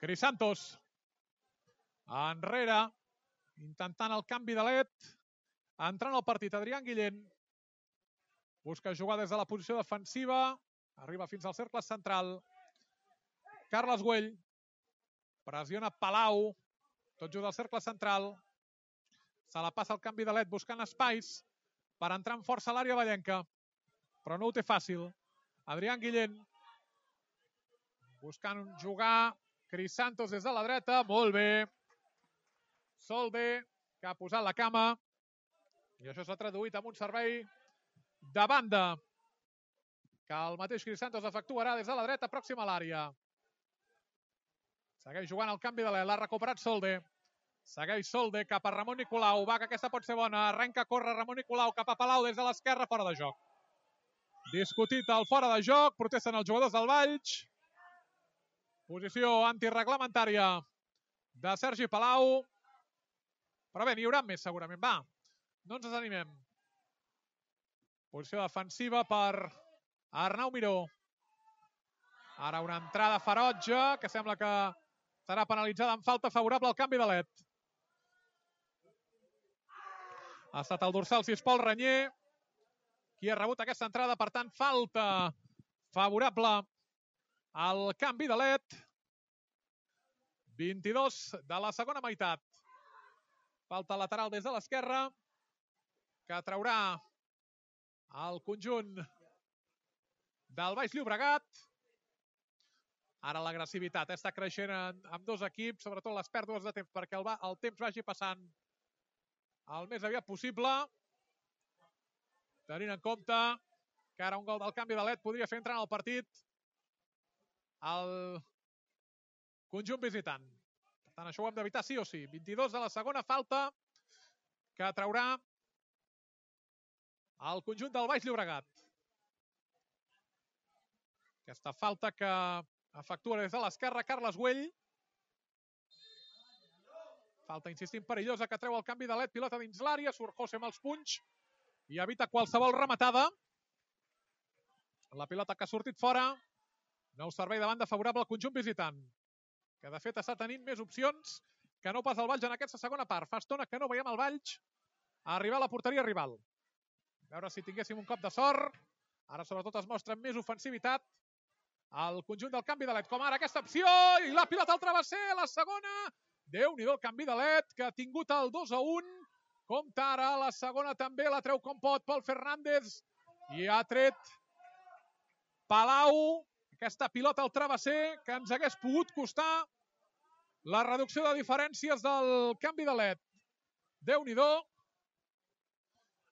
Speaker 1: Crisantos. Enrere. Intentant el canvi de led. Entrant al partit Adrián Guillén. Busca jugar des de la posició defensiva. Arriba fins al cercle central. Carles Güell. Pressiona Palau. Tot just al cercle central. Se la passa el canvi de led buscant espais per entrar amb força a l'àrea vallenca. Però no ho té fàcil. Adrián Guillén. Buscant jugar. Crisantos des de la dreta. Molt bé. Solde, que ha posat la cama. I això s'ha traduït en un servei de banda que el mateix Crisantos efectuarà des de la dreta pròxima a l'àrea. Segueix jugant el canvi de l'E. L'ha recuperat Solde. Segueix Solde cap a Ramon Nicolau. Va, que aquesta pot ser bona. Arrenca a córrer Ramon Nicolau cap a Palau des de l'esquerra, fora de joc. Discutit el fora de joc. Protesten els jugadors del Valls. Posició antireglamentària de Sergi Palau. Però bé, n'hi haurà més segurament. Va, no ens desanimem. Posició defensiva per Arnau Miró. Ara una entrada ferotge que sembla que serà penalitzada amb falta favorable al canvi de led. Ha estat el dorsal 6 Pol Renyer qui ha rebut aquesta entrada. Per tant, falta favorable al canvi de led. 22 de la segona meitat. Falta lateral des de l'esquerra que traurà el conjunt del Baix Llobregat. Ara l'agressivitat està creixent amb dos equips, sobretot les pèrdues de temps, perquè el temps vagi passant el més aviat possible. Tenint en compte que ara un gol del canvi de led podria fer entrar en el partit el conjunt visitant. Per tant, això ho hem d'evitar sí o sí. 22 de la segona, falta que traurà el conjunt del Baix Llobregat. Aquesta falta que efectua des de l'esquerra Carles Güell. Falta, insistim, perillosa que treu el canvi de led. Pilota dins l'àrea, surt José amb els punys i evita qualsevol rematada. La pilota que ha sortit fora. Nou servei de banda favorable al conjunt visitant, que de fet està tenint més opcions que no pas el Valls en aquesta segona part. Fa estona que no veiem el Valls arribar a la porteria rival. A veure si tinguéssim un cop de sort. Ara sobretot es mostra més ofensivitat el conjunt del canvi de led. Com ara aquesta opció i la pilota al travesser, la segona. Déu-n'hi-do el canvi de led que ha tingut el 2-1. Compta ara la segona també, la treu com pot Pol Fernández i ha tret Palau. Aquesta pilota al travesser que ens hagués pogut costar la reducció de diferències del canvi de led. Déu-n'hi-do.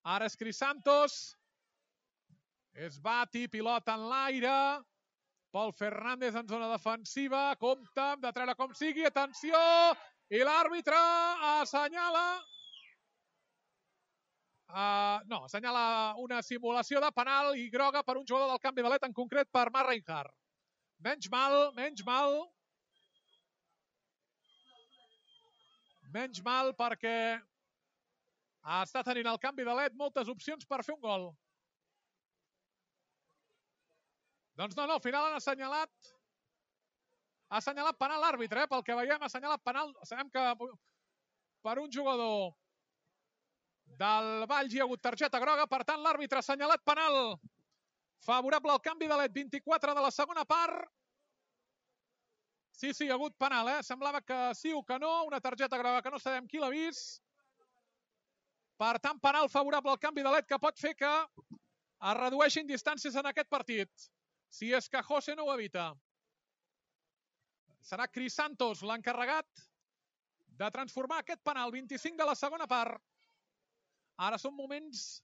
Speaker 1: Ara és Crisantos. Es bati, pilota en l'aire. Pol Fernández en zona defensiva. Compte, hem de treure com sigui. Atenció! I l'àrbitre assenyala... assenyala una simulació de penal i groga per un jugador del canvi de led, en concret per Marc Reinhardt. Menys mal. Menys mal perquè està tenint el canvi de led moltes opcions per fer un gol. Doncs no, al final han assenyalat penal l'àrbitre, pel que veiem, ha assenyalat penal. Sabem que per un jugador del Valls hi ha hagut targeta groga, per tant l'àrbitre ha assenyalat penal favorable al canvi de led. 24 de la segona part. Sí, hi ha hagut penal, semblava que sí o que no, una targeta groga que no sabem qui l'ha vist. Per tant, penal favorable al canvi de led que pot fer que es redueixin distàncies en aquest partit, si és que José no ho evita. Serà Crisantos l'encarregat de transformar aquest penal. 25 de la segona part. Ara són moments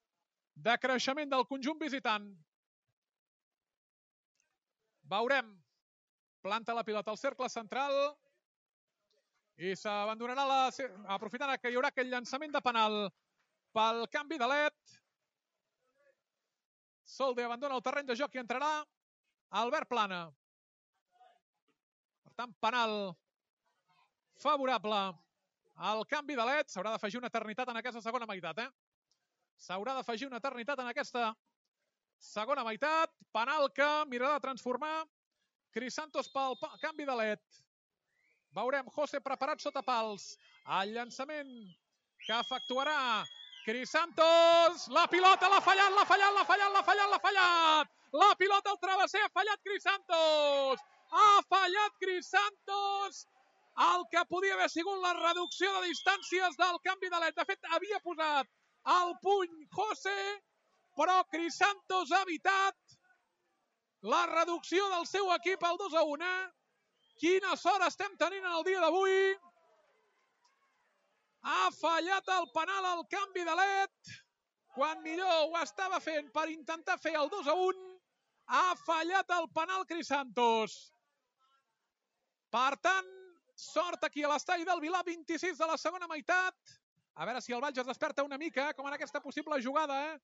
Speaker 1: de creixement del conjunt visitant. Veurem. Planta la pilota al cercle central i s'abandonarà aprofitant que hi haurà aquell llançament de penal pel canvi de led. Solde abandona el terreny de joc i entrarà Albert Plana. Per tant, penal favorable al canvi de led. S'haurà d'afegir una eternitat en aquesta segona meitat. S'haurà d'afegir una eternitat en aquesta segona meitat. Penal que mirarà de transformar Crisantos pel canvi de led. Veurem José preparat sota pals. El llançament que efectuarà Crisantos. La pilota l'ha fallat, l'ha fallat, l'ha fallat, l'ha fallat, l'ha fallat. La pilota al travesser, ha fallat Crisantos. Ha fallat Crisantos. El que podia haver sigut la reducció de distàncies del canvi de led. De fet, havia posat el puny José, però Crisantos ha evitat la reducció del seu equip al 2-1. Quina sort estem tenint en el dia d'avui. Ha fallat el penal al canvi de led. Quan millor ho estava fent per intentar fer el 2-1. Ha fallat el penal Crisantos. Per tant, sort aquí a l'estadi del Vilar, 26 de la segona meitat. A veure si el Valls es desperta una mica, com en aquesta possible jugada.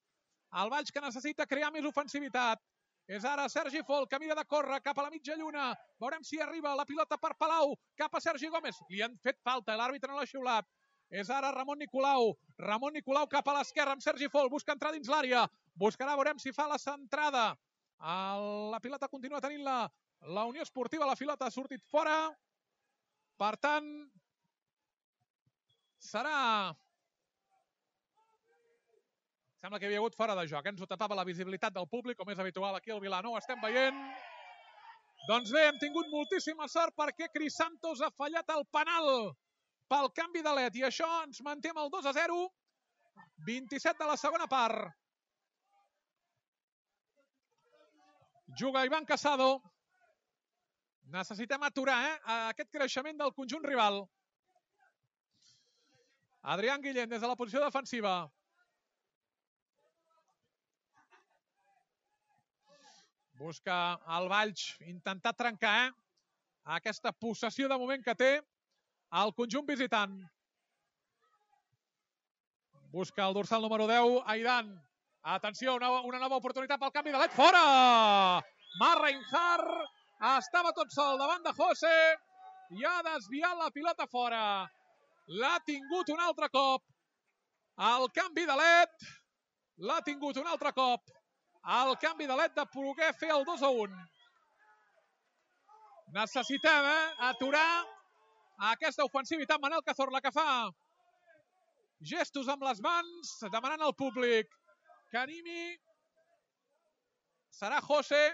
Speaker 1: El Valls que necessita crear més ofensivitat. És ara Sergi Folk, que mira de córrer cap a la mitja lluna. Veurem si arriba la pilota per Palau, cap a Sergi Gómez. Li han fet falta, l'àrbitre no l'ha xiulat. És ara Ramon Nicolau. Ramon Nicolau cap a l'esquerra amb Sergi Folk. Busca entrar dins l'àrea. Buscarà, veurem si fa la centrada. La pilota continua tenint la Unió Esportiva. La pilota ha sortit fora. Per tant, serà... Sembla que hi havia hagut fora de joc. Ens ho tapava la visibilitat del públic, com és habitual aquí al Vilar. No ho estem veient. Doncs bé, hem tingut moltíssima sort perquè Crisantos ha fallat el penal pel canvi de led. I això ens manté amb el 2-0. 27 de la segona part. Juga Ivan Casado. Necessitem aturar aquest creixement del conjunt rival. Adrián Guillén des de la posició defensiva. Busca el Valls intentar trencar aquesta possessió de moment que té el conjunt visitant. Busca el dorsal número 10, Aidan. Atenció, una nova oportunitat pel canvi de led. Fora! Reinhardt estava tot sol davant de José i ha desviat la pilota fora. L'ha tingut un altre cop. El canvi de led l'ha tingut un altre cop. El canvi de led de poder fer el 2-1. Necessitem aturar aquesta ofensivitat. Manel Cazorla, que fa gestos amb les mans, demanant al públic que animi. Serà José.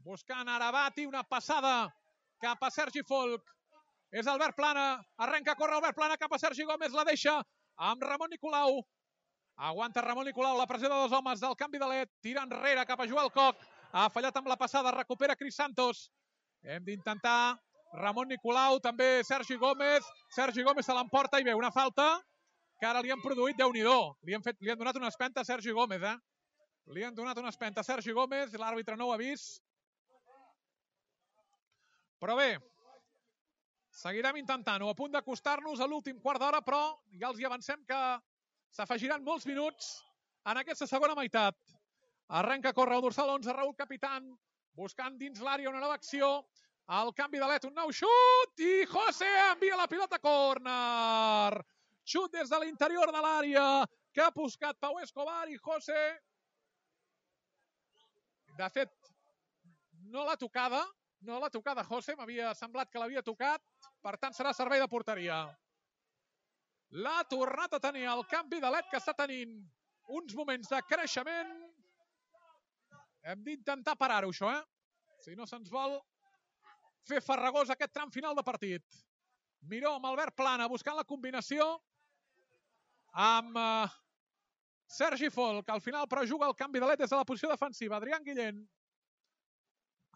Speaker 1: Buscant Arabati, una passada cap a Sergi Folk. És Albert Plana. Arrenca a córrer Albert Plana cap a Sergi Gómez. La deixa amb Ramon Nicolau. Aguanta Ramon Nicolau, la pressió de dos homes del canvi de led. Tira enrere cap a Joel Koch. Ha fallat amb la passada, recupera Crisantos. Hem d'intentar Ramon Nicolau, també Sergi Gómez. Sergi Gómez se l'emporta i ve una falta que ara li han produït, Déu-n'hi-do. Li han donat una espenta a Sergi Gómez. Li han donat una espenta a Sergi Gómez, l'àrbitre no ho ha vist. Però bé, seguirem intentant-ho. A punt d'acostar-nos a l'últim quart d'hora, però ja els hi avancem que s'afegiran molts minuts en aquesta segona meitat. Arrenca a córrer el dorsal 11, Raúl Capitán, buscant dins l'àrea una nova acció. El canvi de led, un nou xut i José envia la pilota a córner. Xut des de l'interior de l'àrea que ha buscat Pau Escobar i José. De fet, no l'ha tocada José, m'havia semblat que l'havia tocat, per tant serà servei de porteria. L'ha tornat a tenir el canvi de led, que està tenint uns moments de creixement. Hem d'intentar parar-ho, això, Si no se'ns vol fer farragós aquest tram final de partit. Miró amb Albert Plana buscant la combinació amb Sergi Folk, que al final però juga el canvi de led des de la posició defensiva. Adrián Guillén.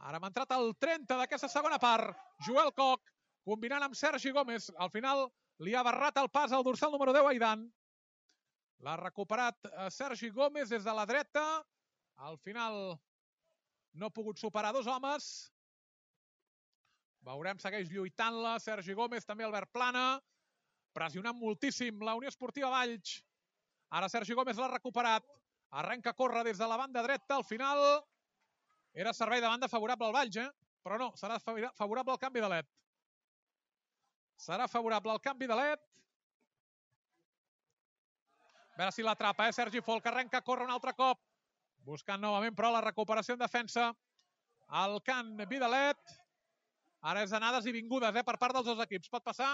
Speaker 1: Ara hem entrat al 30 d'aquesta segona part. Joel Koch, combinant amb Sergi Gómez. Al final li ha barrat el pas al dorsal número 10, Aidan. L'ha recuperat Sergi Gómez des de la dreta. Al final no ha pogut superar dos homes. Veurem, segueix lluitant-la. Sergi Gómez, també Albert Plana. Pressionant moltíssim la Unió Esportiva Valls. Ara Sergi Gómez l'ha recuperat. Arrenca a córrer des de la banda dreta. Al final era servei de banda favorable al Valls, però no, serà favorable al canvi de led. Serà favorable al canvi de led. A veure si l'atrapa, Sergi Folk, arrenca a córrer un altre cop. Buscant novament, però, la recuperació en defensa. El canvi de led. Ara és anades i vingudes per part dels dos equips. Pot passar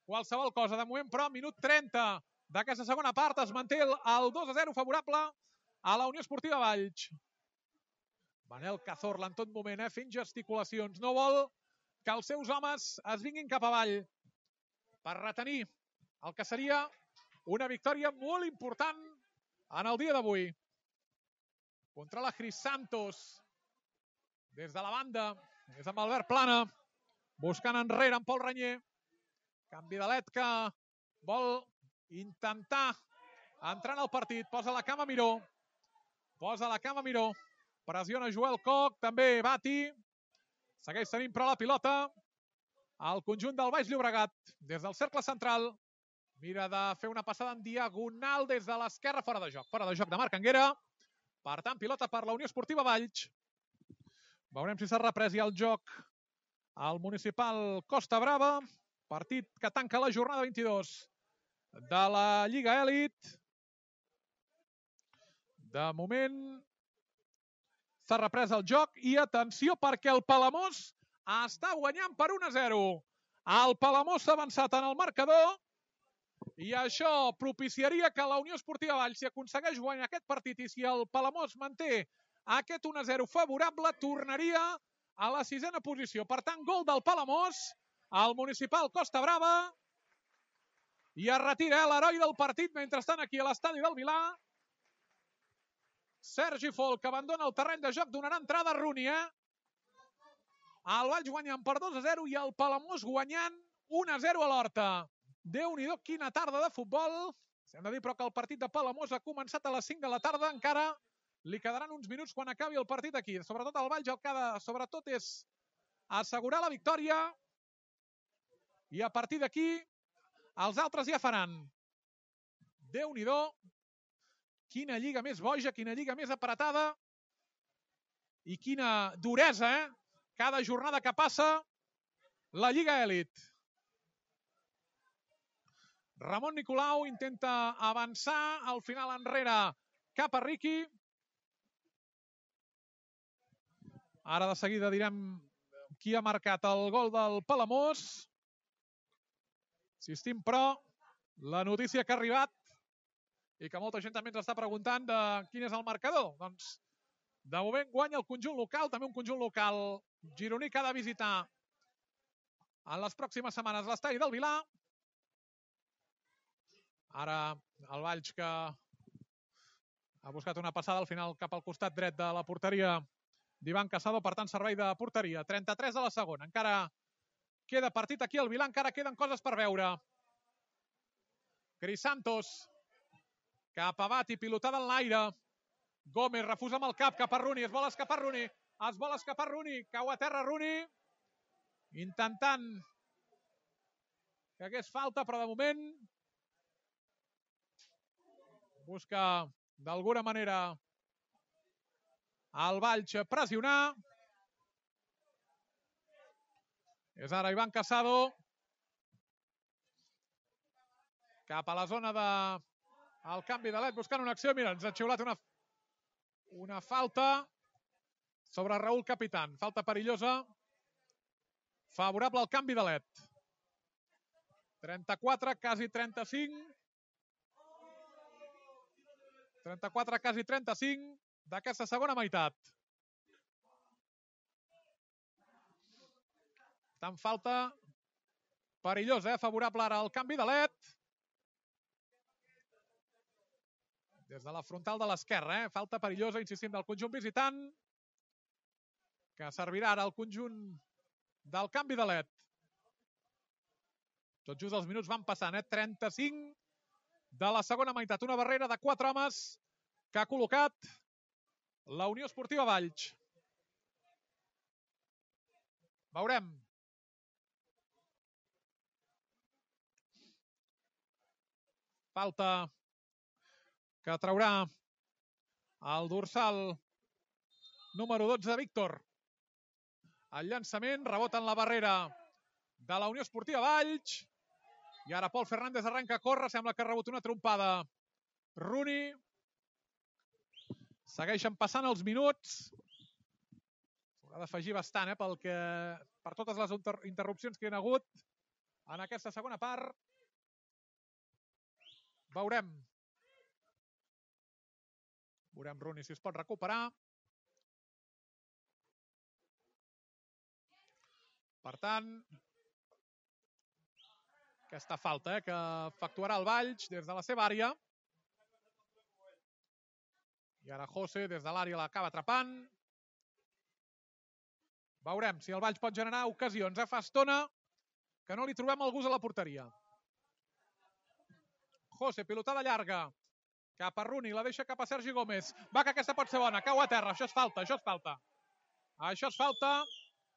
Speaker 1: qualsevol cosa. De moment, però, minut 30 d'aquesta segona part es manté el 2-0 favorable a la Unió Esportiva Valls. Manel Cazorla en tot moment, fent gesticulacions. No vol que els seus homes es vinguin cap avall per retenir el que seria una victòria molt important en el dia d'avui. Contra la Cris Santos. Des de la banda és amb Albert Plana. Buscant enrere amb Pol Ranyer. Canvi de led que vol intentar entrar en el partit. Posa la cama Miró. Posa la cama Miró. Pressiona Joel Koch, també Bati. Segueix tenint però la pilota al conjunt del Baix Llobregat. Des del cercle central. Mira de fer una passada en diagonal des de l'esquerra, fora de joc. Fora de joc de Marc Anguera. Per tant, pilota per la Unió Esportiva Valls. Veurem si s'ha reprès ja el joc al municipal Costa Brava. Partit que tanca la jornada 22 de la Lliga Elit. De moment s'ha reprès el joc i atenció perquè el Palamós està guanyant per 1-0. El Palamós s'ha avançat en el marcador i això propiciaria que la Unió Esportiva Valls, si aconsegueix guanyar aquest partit i si el Palamós manté aquest 1-0 favorable, tornaria a la 6a posició. Per tant, gol del Palamós al municipal Costa Brava i es retira l'heroi del partit mentrestant aquí a l'estadi del Vilar. Sergi Folk, que abandona el terreny de joc, donarà entrada a Rooney. El Valls guanyant per 2-0 i el Palamós guanyant 1-0 a l'Horta. Déu-n'hi-do, quina tarda de futbol. Hem de dir, però, que el partit de Palamós ha començat a les 5 de la tarda. Encara li quedaran uns minuts quan acabi el partit aquí. Sobretot el Valls el que ha de, sobretot, és assegurar la victòria. I a partir d'aquí, els altres ja faran. Déu-n'hi-do. Quina lliga més boja, quina lliga més apretada i quina duresa, cada jornada que passa la Lliga Elit. Ramon Nicolau intenta avançar, al final enrere cap a Riqui. Ara de seguida direm qui ha marcat el gol del Palamós. Insistim, però, la notícia que ha arribat i que molta gent també ens està preguntant de quin és el marcador. Doncs, de moment guanya el conjunt local, també un conjunt local gironí que ha de visitar en les pròximes setmanes l'estadi del Vilar. Ara el Valls que ha buscat una passada al final cap al costat dret de la porteria d'Ivan Casado, per tant servei de porteria. 33 de la segona, encara queda partit aquí al Vilar, encara queden coses per veure. Cris Santos cap a Bati, pilotada en l'aire. Gómez refusa amb el cap cap a Rooney. Es vol escapar Rooney. Cau a terra Rooney. Intentant que hagués falta, però de moment busca d'alguna manera el Valls pressionar. És ara Ivan Casado. Cap a la zona de el canvi de led, buscant una acció. Mira, ens ha xiulat una falta sobre Raúl Capitán. Falta perillosa. Favorable al canvi de led. 34, quasi 35. 34, quasi 35 d'aquesta segona meitat. Tant falta perillosa, favorable ara al canvi de led. Des de la frontal de l'esquerra, falta perillosa, insistim, del conjunt visitant, que servirà ara al conjunt del canvi de LED. Tot just els minuts van passant, 35 de la segona meitat. Una barrera de 4 homes que ha col·locat la Unió Esportiva Valls. Veurem. Falta que traurà el dorsal número 12, Víctor. El llançament, rebota en la barrera de la Unió Esportiva Valls. I ara Pol Fernández arrenca a córrer, sembla que ha rebut una trompada. Rooney. Segueixen passant els minuts. S'haurà d'afegir bastant, per totes les interrupcions que hi ha hagut en aquesta segona part. Veurem. Veurem Rooney si es pot recuperar. Per tant, aquesta falta que efectuarà el Valls des de la seva àrea. I ara José des de l'àrea l'acaba atrapant. Veurem si el Valls pot generar ocasions. Fa estona que no li trobem el gust a la porteria. José, pilotada llarga. Cap a Rooney, la deixa cap a Sergi Gómez. Va, que aquesta pot ser bona. Cau a terra. Això és falta, això és falta. Això és falta.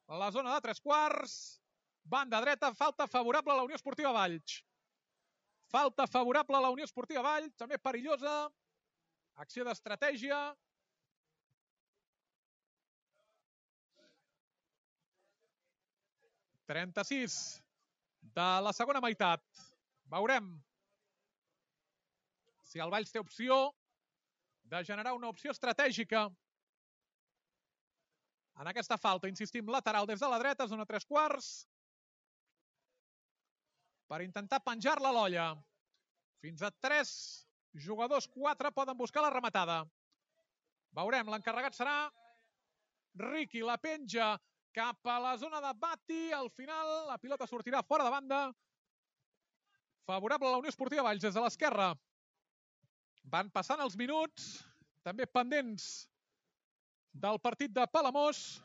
Speaker 1: La zona de 3/4. Banda dreta, falta favorable a la Unió Esportiva Valls. Falta favorable a la Unió Esportiva Valls, també perillosa. Acció d'estratègia. (36 de la segona meitat. Veurem si el Valls té opció de generar una opció estratègica en aquesta falta. Insistim, lateral des de la dreta, zona 3/4. Per intentar penjar-la a l'olla. Fins a 3 jugadors, 4 poden buscar la rematada. Veurem, l'encarregat serà Riqui, la penja cap a la zona de Bati. Al final la pilota sortirà fora de banda. Favorable a la Unió Esportiva Valls des de l'esquerra. Van passant els minuts, també pendents del partit de Palamós.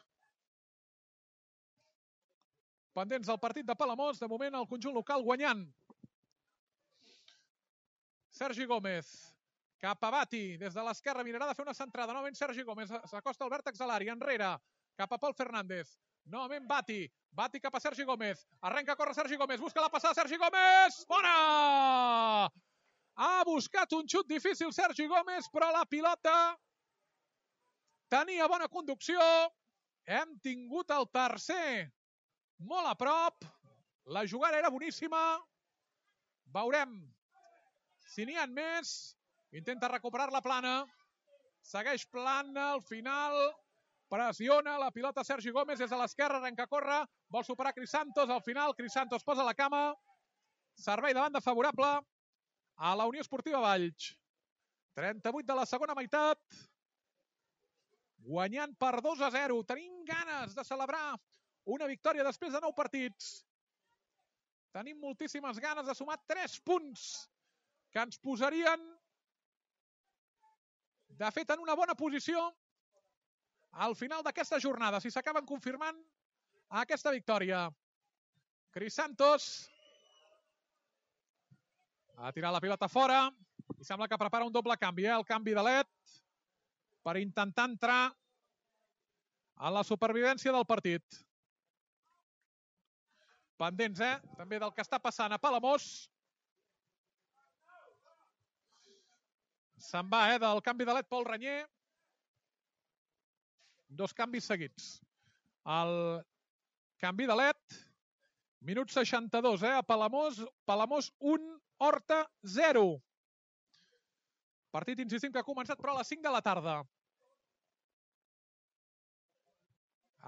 Speaker 1: Pendents del partit de Palamós, de moment el conjunt local guanyant. Sergi Gómez, cap a Bati, des de l'esquerra, mirarà de fer una centrada. Novament Sergi Gómez, s'acosta al vèrtex de l'àrea, enrere, cap a Pol Fernández. Novament Bati, Bati cap a Sergi Gómez. Arrenca a córrer Sergi Gómez, busca la passada Sergi Gómez. Bona! Ha buscat un xut difícil Sergi Gómez, però la pilota tenia bona conducció. Hem tingut el tercer molt a prop. La jugada era boníssima. Veurem si n'hi ha més. Intenta recuperar la plana. Segueix plana al final. Pressiona la pilota Sergi Gómez des de l'esquerra, arrenca a córrer. Vol superar Crisantos. Al final Crisantos posa la cama. Servei de banda favorable a la Unió Esportiva Valls. 38 de la segona meitat. Guanyant per 2-0. Tenim ganes de celebrar una victòria després de 9 partits. Tenim moltíssimes ganes de sumar 3 punts que ens posarien, de fet, en una bona posició al final d'aquesta jornada, si s'acaben confirmant aquesta victòria. Crisantos ha tirat la pilota fora i sembla que prepara un doble canvi, el canvi de LED, per intentar entrar a la supervivència del partit. Pendents, també del que està passant a Palamós. Se'n va, del canvi de LED Pol Ranyer. 2 canvis seguits. El canvi de LED, minut 62, a Palamós. Palamós 1, Horta 0. Partit, insistim, que ha començat però a les 5 de la tarda.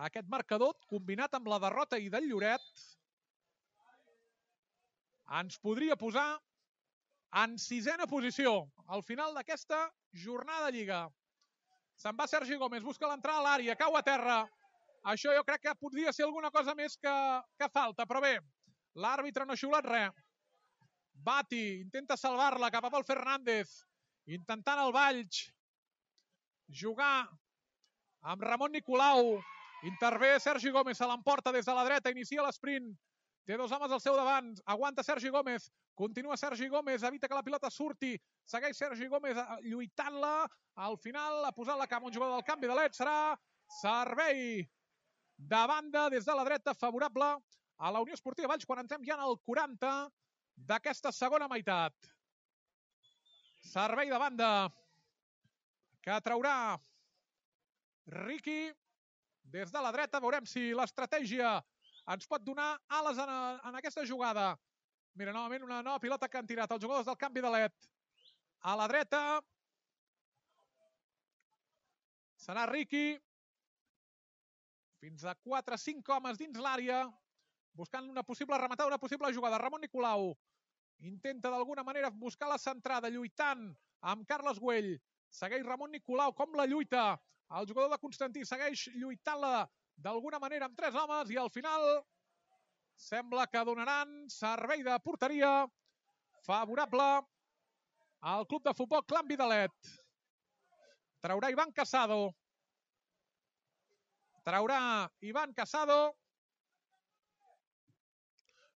Speaker 1: Aquest marcador, combinat amb la derrota i del Lloret, ens podria posar en 6ena posició al final d'aquesta jornada de Lliga. Se'n va Sergi Gómez, busca l'entrada a l'àrea, cau a terra. Això jo crec que podria ser alguna cosa més que falta, però bé, l'àrbitre no ha xiulat res. Bati intenta salvar-la cap a Pol Fernández. intentant el Valls jugar amb Ramon Nicolau. Intervé Sergi Gómez, se l'emporta des de la dreta, inicia l'esprint. Té dos homes al seu davant, aguanta Sergi Gómez, continua Sergi Gómez, evita que la pilota surti, segueix Sergi Gómez lluitant-la, al final ha posat la cama un jugador del canvi de led, serà servei de banda des de la dreta favorable a la Unió Esportiva Valls quan entrem ja en el 40 d'aquesta segona meitat. Servei de banda que traurà Riqui des de la dreta. Veurem si l'estratègia ens pot donar ales en aquesta jugada. Mira, novament una nova pilota que han tirat els jugadors del canvi de led. A la dreta serà Riqui. Fins a 4-5 homes dins l'àrea, buscant una possible rematada, una possible jugada. Ramon Nicolau intenta d'alguna manera buscar la centrada, lluitant amb Carles Güell. Segueix Ramon Nicolau, com la lluita. El jugador de Constantí segueix lluitant-la d'alguna manera amb 3 homes i al final sembla que donaran servei de porteria favorable al club de futbol Clan Vidalet. Traurà Ivan Casado.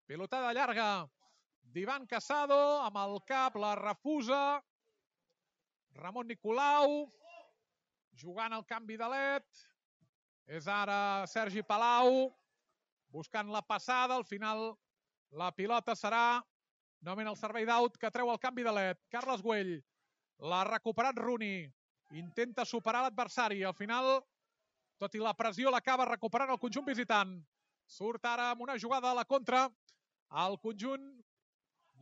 Speaker 1: Pilotada llarga d'Ivan Casado, amb el cap la refusa Ramon Nicolau, jugant al canvi de led. És ara Sergi Palau, buscant la passada. Al final la pilota serà novament el servei d'out que treu el canvi de led. Carles Güell, l'ha recuperat Rooney, intenta superar l'adversari. Al final, tot i la pressió, l'acaba recuperant el conjunt visitant. Surt ara amb una jugada a la contra. El conjunt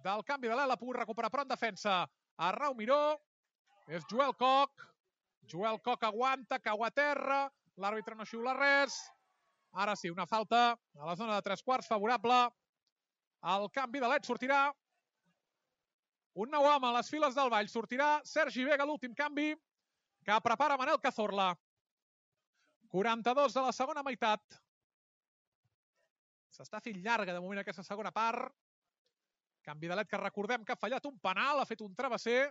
Speaker 1: del canvi de led l'ha pogut recuperar, però en defensa Arnau Miró. És Joel Koch. Joel Koch aguanta, cau a terra. L'àrbitre no xiula res. Ara sí, una falta a la zona de 3/4 favorable al canvi de led. Sortirà un nou home a les files del Valls. Sortirà Sergi Vega, l'últim canvi, que prepara Manel Cazorla. 42 de la segona meitat. S'està fent llarga de moment aquesta segona part. Canvi de led que recordem que ha fallat un penal, ha fet un travesser.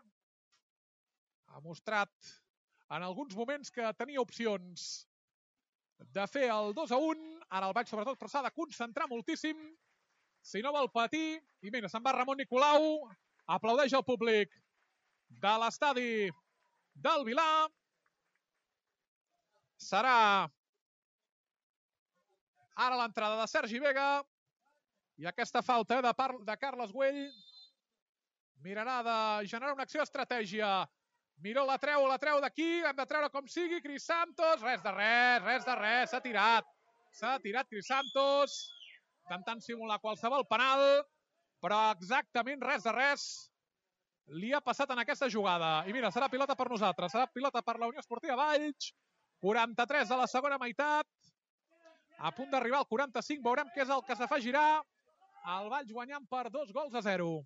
Speaker 1: Ha mostrat en alguns moments que tenia opcions de fer el 2-1. Ara el Valls sobretot, però s'ha de concentrar moltíssim si no vol patir. I mira, se'n va Ramon Nicolau. Aplaudeix el públic de l'estadi del Vilar. Serà ara l'entrada de Sergi Vega. I aquesta falta de Carles Güell mirarà de generar una acció d'estratègia. Miró la treu d'aquí, hem de treure com sigui. Cris Santos, res de res, s'ha tirat Cris Santos, intentant simular qualsevol penal, però exactament res de res li ha passat en aquesta jugada. I mira, serà pilota per nosaltres, serà pilota per la Unió Esportiva Valls. 43 de la segona meitat, a punt d'arribar al 45, veurem què és el que s'afegirà. El Valls guanyant per 2-0.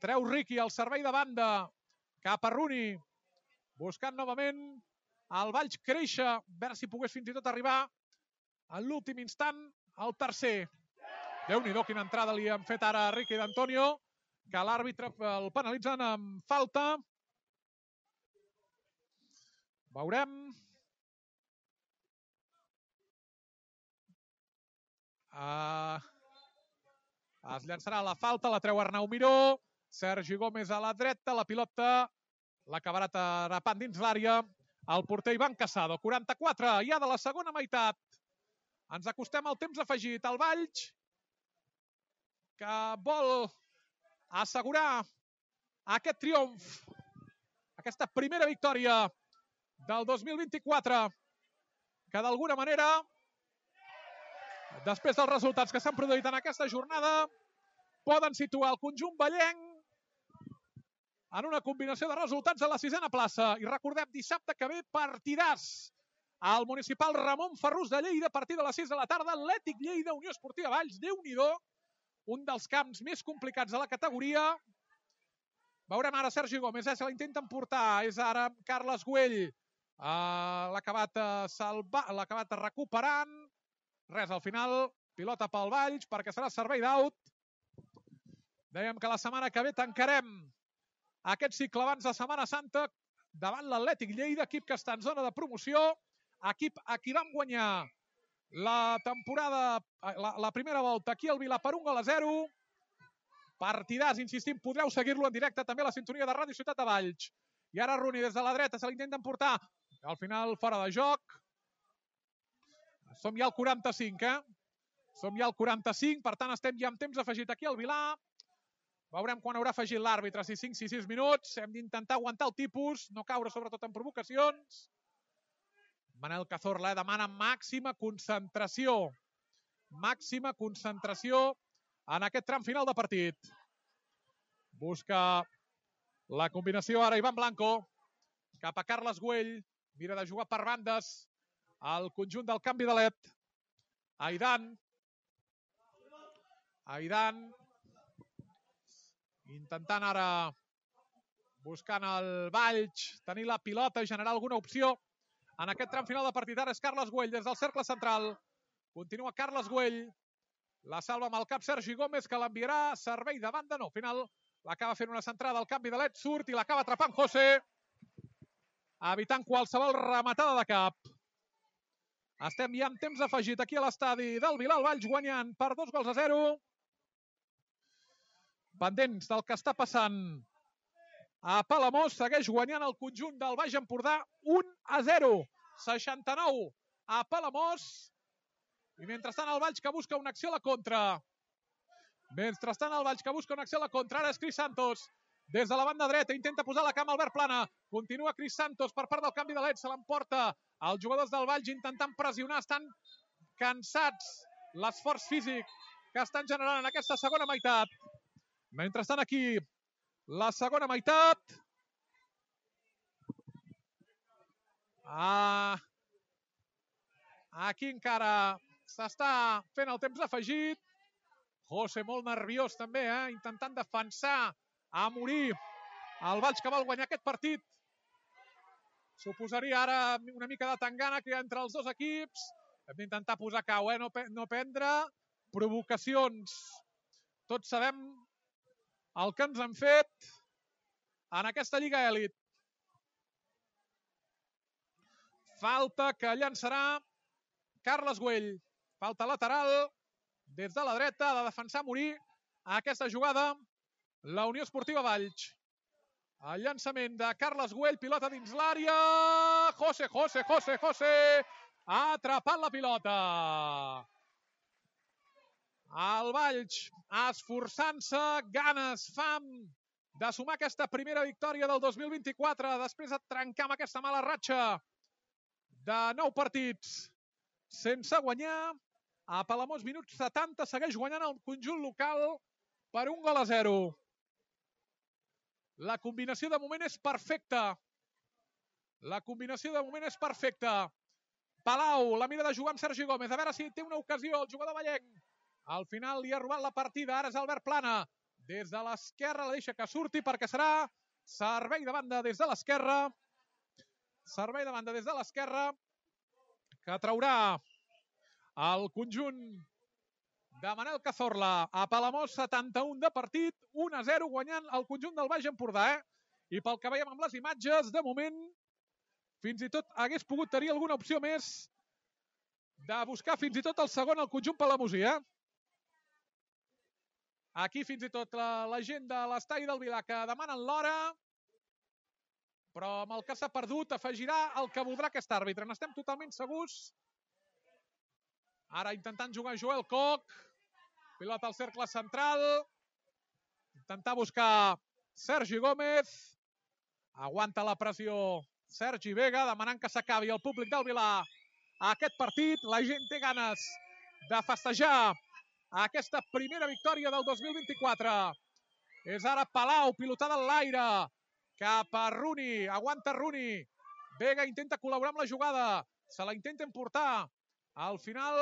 Speaker 1: Treu Riqui al servei de banda, cap a Rooney, buscant novament el Valls créixer, a veure si pogués fins i tot arribar en l'últim instant al tercer. Déu-n'hi-do, quina entrada li han fet ara a Riqui d'Antonio, que l'àrbitre el penalitzen amb falta. Veurem. Es llançarà la falta, la treu Arnau Miró. Sergi Gómez a la dreta, la pilota l'acabarà atrapant dins l'àrea el porter Ivan Casado. 44 ja de la segona meitat. Ens acostem al temps afegit. El Valls, que vol assegurar aquest triomf, aquesta primera victòria del 2024, que d'alguna manera, després dels resultats que s'han produït en aquesta jornada, poden situar el conjunt vallenc en una combinació de resultats a la 6a plaça. I recordem, dissabte que ve, partidàs al municipal Ramon Ferrús de Lleida, a partir de les 6 de la tarda, Atlètic Lleida, Unió Esportiva Valls. Déu-n'hi-do, un dels camps més complicats de la categoria. Veurem ara Sergi Gómez, se l'intenten portar, és ara Carles Güell. L'ha acabat recuperant. Res, al final, pilota pel Valls, perquè serà servei d'out. Dèiem que la setmana que ve tancarem aquest cicle abans de Setmana Santa davant l'Atlètic Lleida, equip que està en zona de promoció, equip a qui vam guanyar la temporada, la primera volta aquí al Vilà per 1-0. Partidàs, insistim, podreu seguir-lo en directe també a la sintonia de Ràdio Ciutat de Valls. I ara Rooney des de la dreta se l'intenten portar. Al final fora de joc. Som ja al 45, Som ja al 45, per tant estem ja amb temps afegit aquí al Vilà. Veurem quan haurà afegit l'àrbitre, si 5, si 6 minuts. Hem d'intentar aguantar el tipus, no caure sobretot en provocacions. Manel Cazorla demana màxima concentració. Màxima concentració en aquest tram final de partit. Busca la combinació ara Ivan Blanco. Cap a Carles Güell. Mira de jugar per bandes al conjunt del canvi de led. Aidan. Intentant ara, buscant el Valls, tenir la pilota i generar alguna opció. En aquest tram final de partit ara és Carles Güell des del cercle central. Continua Carles Güell. La salva amb el cap Sergi Gómez, que l'enviarà a servei de banda. No, al final l'acaba fent una centrada al canvi de led, surt i l'acaba atrapant José, evitant qualsevol rematada de cap. Estem ja amb temps afegit aquí a l'estadi del Vilà, el Valls guanyant per 2-0. Pendents del que està passant a Palamós, segueix guanyant el conjunt del Baix Empordà 1-0. 69 a Palamós. I mentrestant el Valls que busca una acció a la contra. Ara és Cris Santos. Des de la banda dreta intenta posar la cama Albert Plana. Continua Cris Santos per part del canvi de led. Se l'emporta els jugadors del Valls intentant pressionar. Estan cansats l'esforç físic que estan generant en aquesta segona meitat. Mentrestant aquí la segona meitat. Aquí encara s'està fent el temps afegit. José molt nerviós també, intentant defensar a morir el Valls que vol guanyar aquest partit. Suposaria ara una mica de tangana que hi ha entre els dos equips. Hem d'intentar posar cau, no prendre provocacions. Tots sabem el que ens han fet en aquesta Lliga Elit. Falta que llançarà Carles Güell. Falta lateral des de la dreta, ha de defensar a morir aquesta jugada la Unió Esportiva Valls. El llançament de Carles Güell, pilota dins l'àrea. José ha atrapat la pilota. El Valls esforçant-se, ganes, fam de sumar aquesta primera victòria del 2024 després de trencar amb aquesta mala ratxa de 9 partits sense guanyar. A Palamós, minut 70, segueix guanyant el conjunt local per 1-0. La combinació de moment és perfecta. Palau, la mira de jugar amb Sergi Gómez. A veure si té una ocasió el jugador vallenc. Al final li ha robat la partida. Ara és Albert Plana. Des de l'esquerra la deixa que surti perquè serà servei de banda des de l'esquerra. Que traurà el conjunt de Manel Cazorla. A Palamós, 71 de partit, 1-0 guanyant el conjunt del Baix Empordà. I pel que veiem amb les imatges, de moment, fins i tot hagués pogut tenir alguna opció més de buscar fins i tot el segon al conjunt palamosí. Aquí fins i tot la gent de l'estadi del Vilà que demanen l'hora, però amb el que s'ha perdut afegirà el que voldrà aquest àrbitre. N'estem totalment segurs. Ara intentant jugar Joel Koch. Pilota al cercle central. Intentar buscar Sergi Gómez. Aguanta la pressió Sergi Vega, demanant que s'acabi el públic del Vilà aquest partit. La gent té ganes de festejar aquesta primera victòria del 2024. És ara Palau, pilotada en l'aire. Cap a Rooney. Aguanta Rooney. Vega intenta col·laborar amb la jugada. Se la intenta emportar. Al final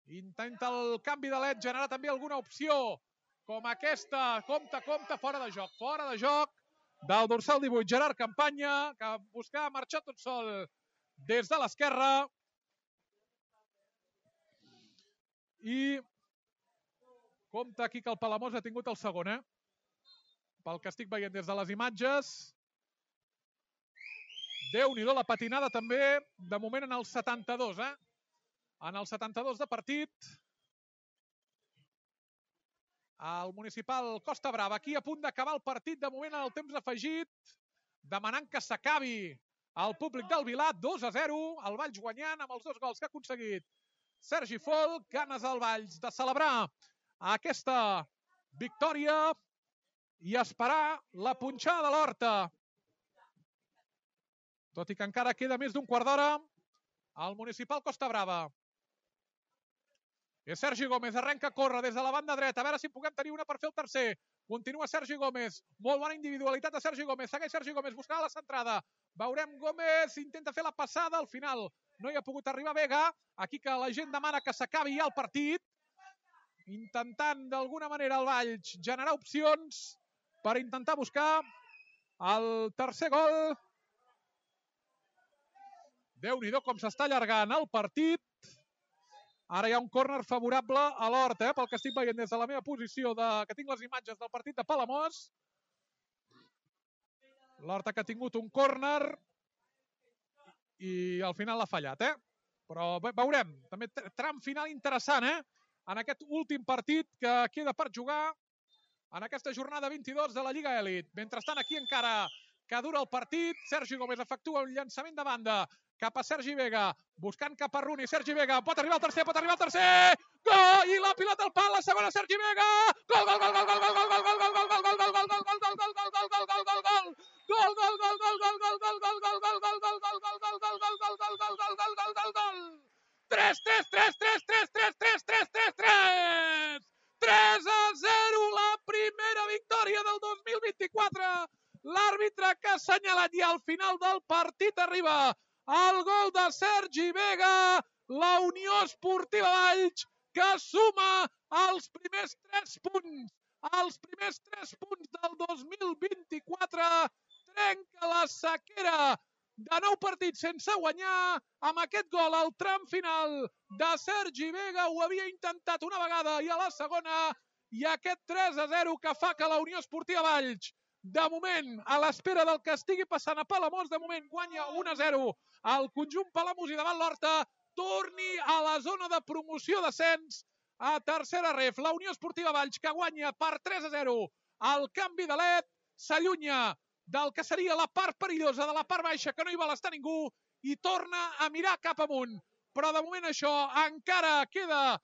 Speaker 1: intenta el canvi de led, generar també alguna opció com aquesta. Compte, fora de joc del dorsal 18, Gerard Campanya, que buscava marxar tot sol des de l'esquerra. I compte aquí que el Palamós ha tingut el segon, pel que estic veient des de les imatges. Déu-n'hi-do la patinada també, de moment en el 72, En el 72 de partit. El Municipal Costa Brava, aquí a punt d'acabar el partit, de moment en el temps afegit, demanant que s'acabi el públic del Vilar, 2-0, el Valls guanyant amb els 2 gols que ha aconseguit Sergi Folk. Ganes al Valls de celebrar aquesta victòria i esperar la punxada de l'Horta. Tot i que encara queda més d'un quart d'hora, el Municipal Costa Brava. És Sergi Gómez, arrenca a córrer des de la banda dreta, a veure si puguem tenir una per fer el tercer. Continua Sergi Gómez, molt bona individualitat de Sergi Gómez, segueix Sergi Gómez, buscant la centrada. Veurem Gómez, intenta fer la passada, al final no hi ha pogut arribar Vega. Aquí que la gent demana que s'acabi ja el partit, intentant d'alguna manera el Valls generar opcions per intentar buscar el tercer gol. Déu-n'hi-do com s'està allargant el partit. Ara hi ha un córner favorable a l'Horta, pel que estic veient des de la meva posició, que tinc les imatges del partit de Palamós. L'Horta que ha tingut un córner i al final l'ha fallat, Però veurem, també tram final interessant, en aquest últim partit que queda per jugar en aquesta jornada 22 de la Lliga Elit. Mentrestant, aquí encara que dura el partit, Sergi Gómez efectua un llançament de banda cap a Sergi Vega, buscant cap a Runi. Sergi Vega pot arribar al tercer, gol! I la pilota al pal, la segona Sergi Vega! Gol, gol, gol, gol, gol, gol, gol, gol, gol, gol, gol, gol, gol, gol, gol, gol, gol, gol, gol, gol, 3-0, la primera victòria del 2024. L'àrbitre que ha assenyalat i al final del partit arriba el gol de Sergi Vega, la Unió Esportiva Valls, que suma els primers 3 punts. Els primers 3 punts del 2024, trenca la sequera de 9 partits sense guanyar. Amb aquest gol al tram final de Sergi Vega, ho havia intentat una vegada i a la segona, i aquest 3-0 que fa que la Unió Esportiva Valls, de moment, a l'espera del que estigui passant a Palamós, de moment guanya 1-0 al conjunt palamosí davant l'Horta, torni a la zona de promoció d'ascens a tercera ref. La Unió Esportiva Valls, que guanya per 3-0 al canvi de led, s'allunya del que seria la part perillosa de la part baixa, que no hi vol estar ningú, i torna a mirar cap amunt. Però de moment això encara queda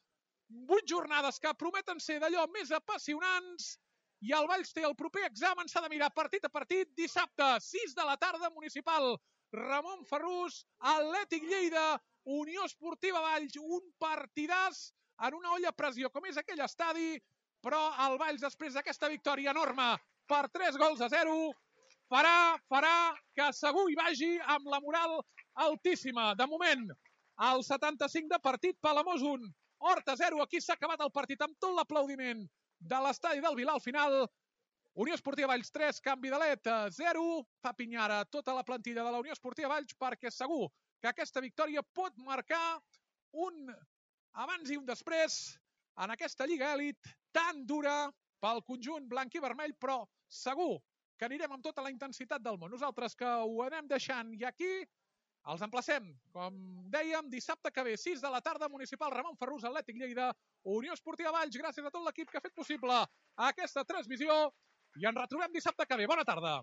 Speaker 1: 8 jornades que prometen ser d'allò més apassionants, i el Valls té el proper examen, s'ha de mirar partit a partit. Dissabte, 6 de la tarda, Municipal Ramon Ferrús, Atlètic Lleida, Unió Esportiva Valls, un partidàs en una olla a pressió com és aquell estadi, però el Valls, després d'aquesta victòria enorme per 3-0, farà que segur hi vagi amb la moral altíssima. De moment, al 75 de partit, Palamós 1, Horta 0. Aquí s'ha acabat el partit amb tot l'aplaudiment de l'estadi del Vilar al final. Unió Esportiva Valls 3, canvi de led 0. Fa pinyar a tota la plantilla de la Unió Esportiva Valls perquè segur que aquesta victòria pot marcar un abans i un després en aquesta Lliga Elit tan dura pel conjunt blanc i vermell, però segur que anirem amb tota la intensitat del món. Nosaltres que ho anem deixant i aquí els emplacem, com dèiem, dissabte que ve, 6 de la tarda, Municipal Ramon Ferrús, Atlètic Lleida, Unió Esportiva Valls. Gràcies a tot l'equip que ha fet possible aquesta transmissió i ens retrobem dissabte que ve. Bona tarda.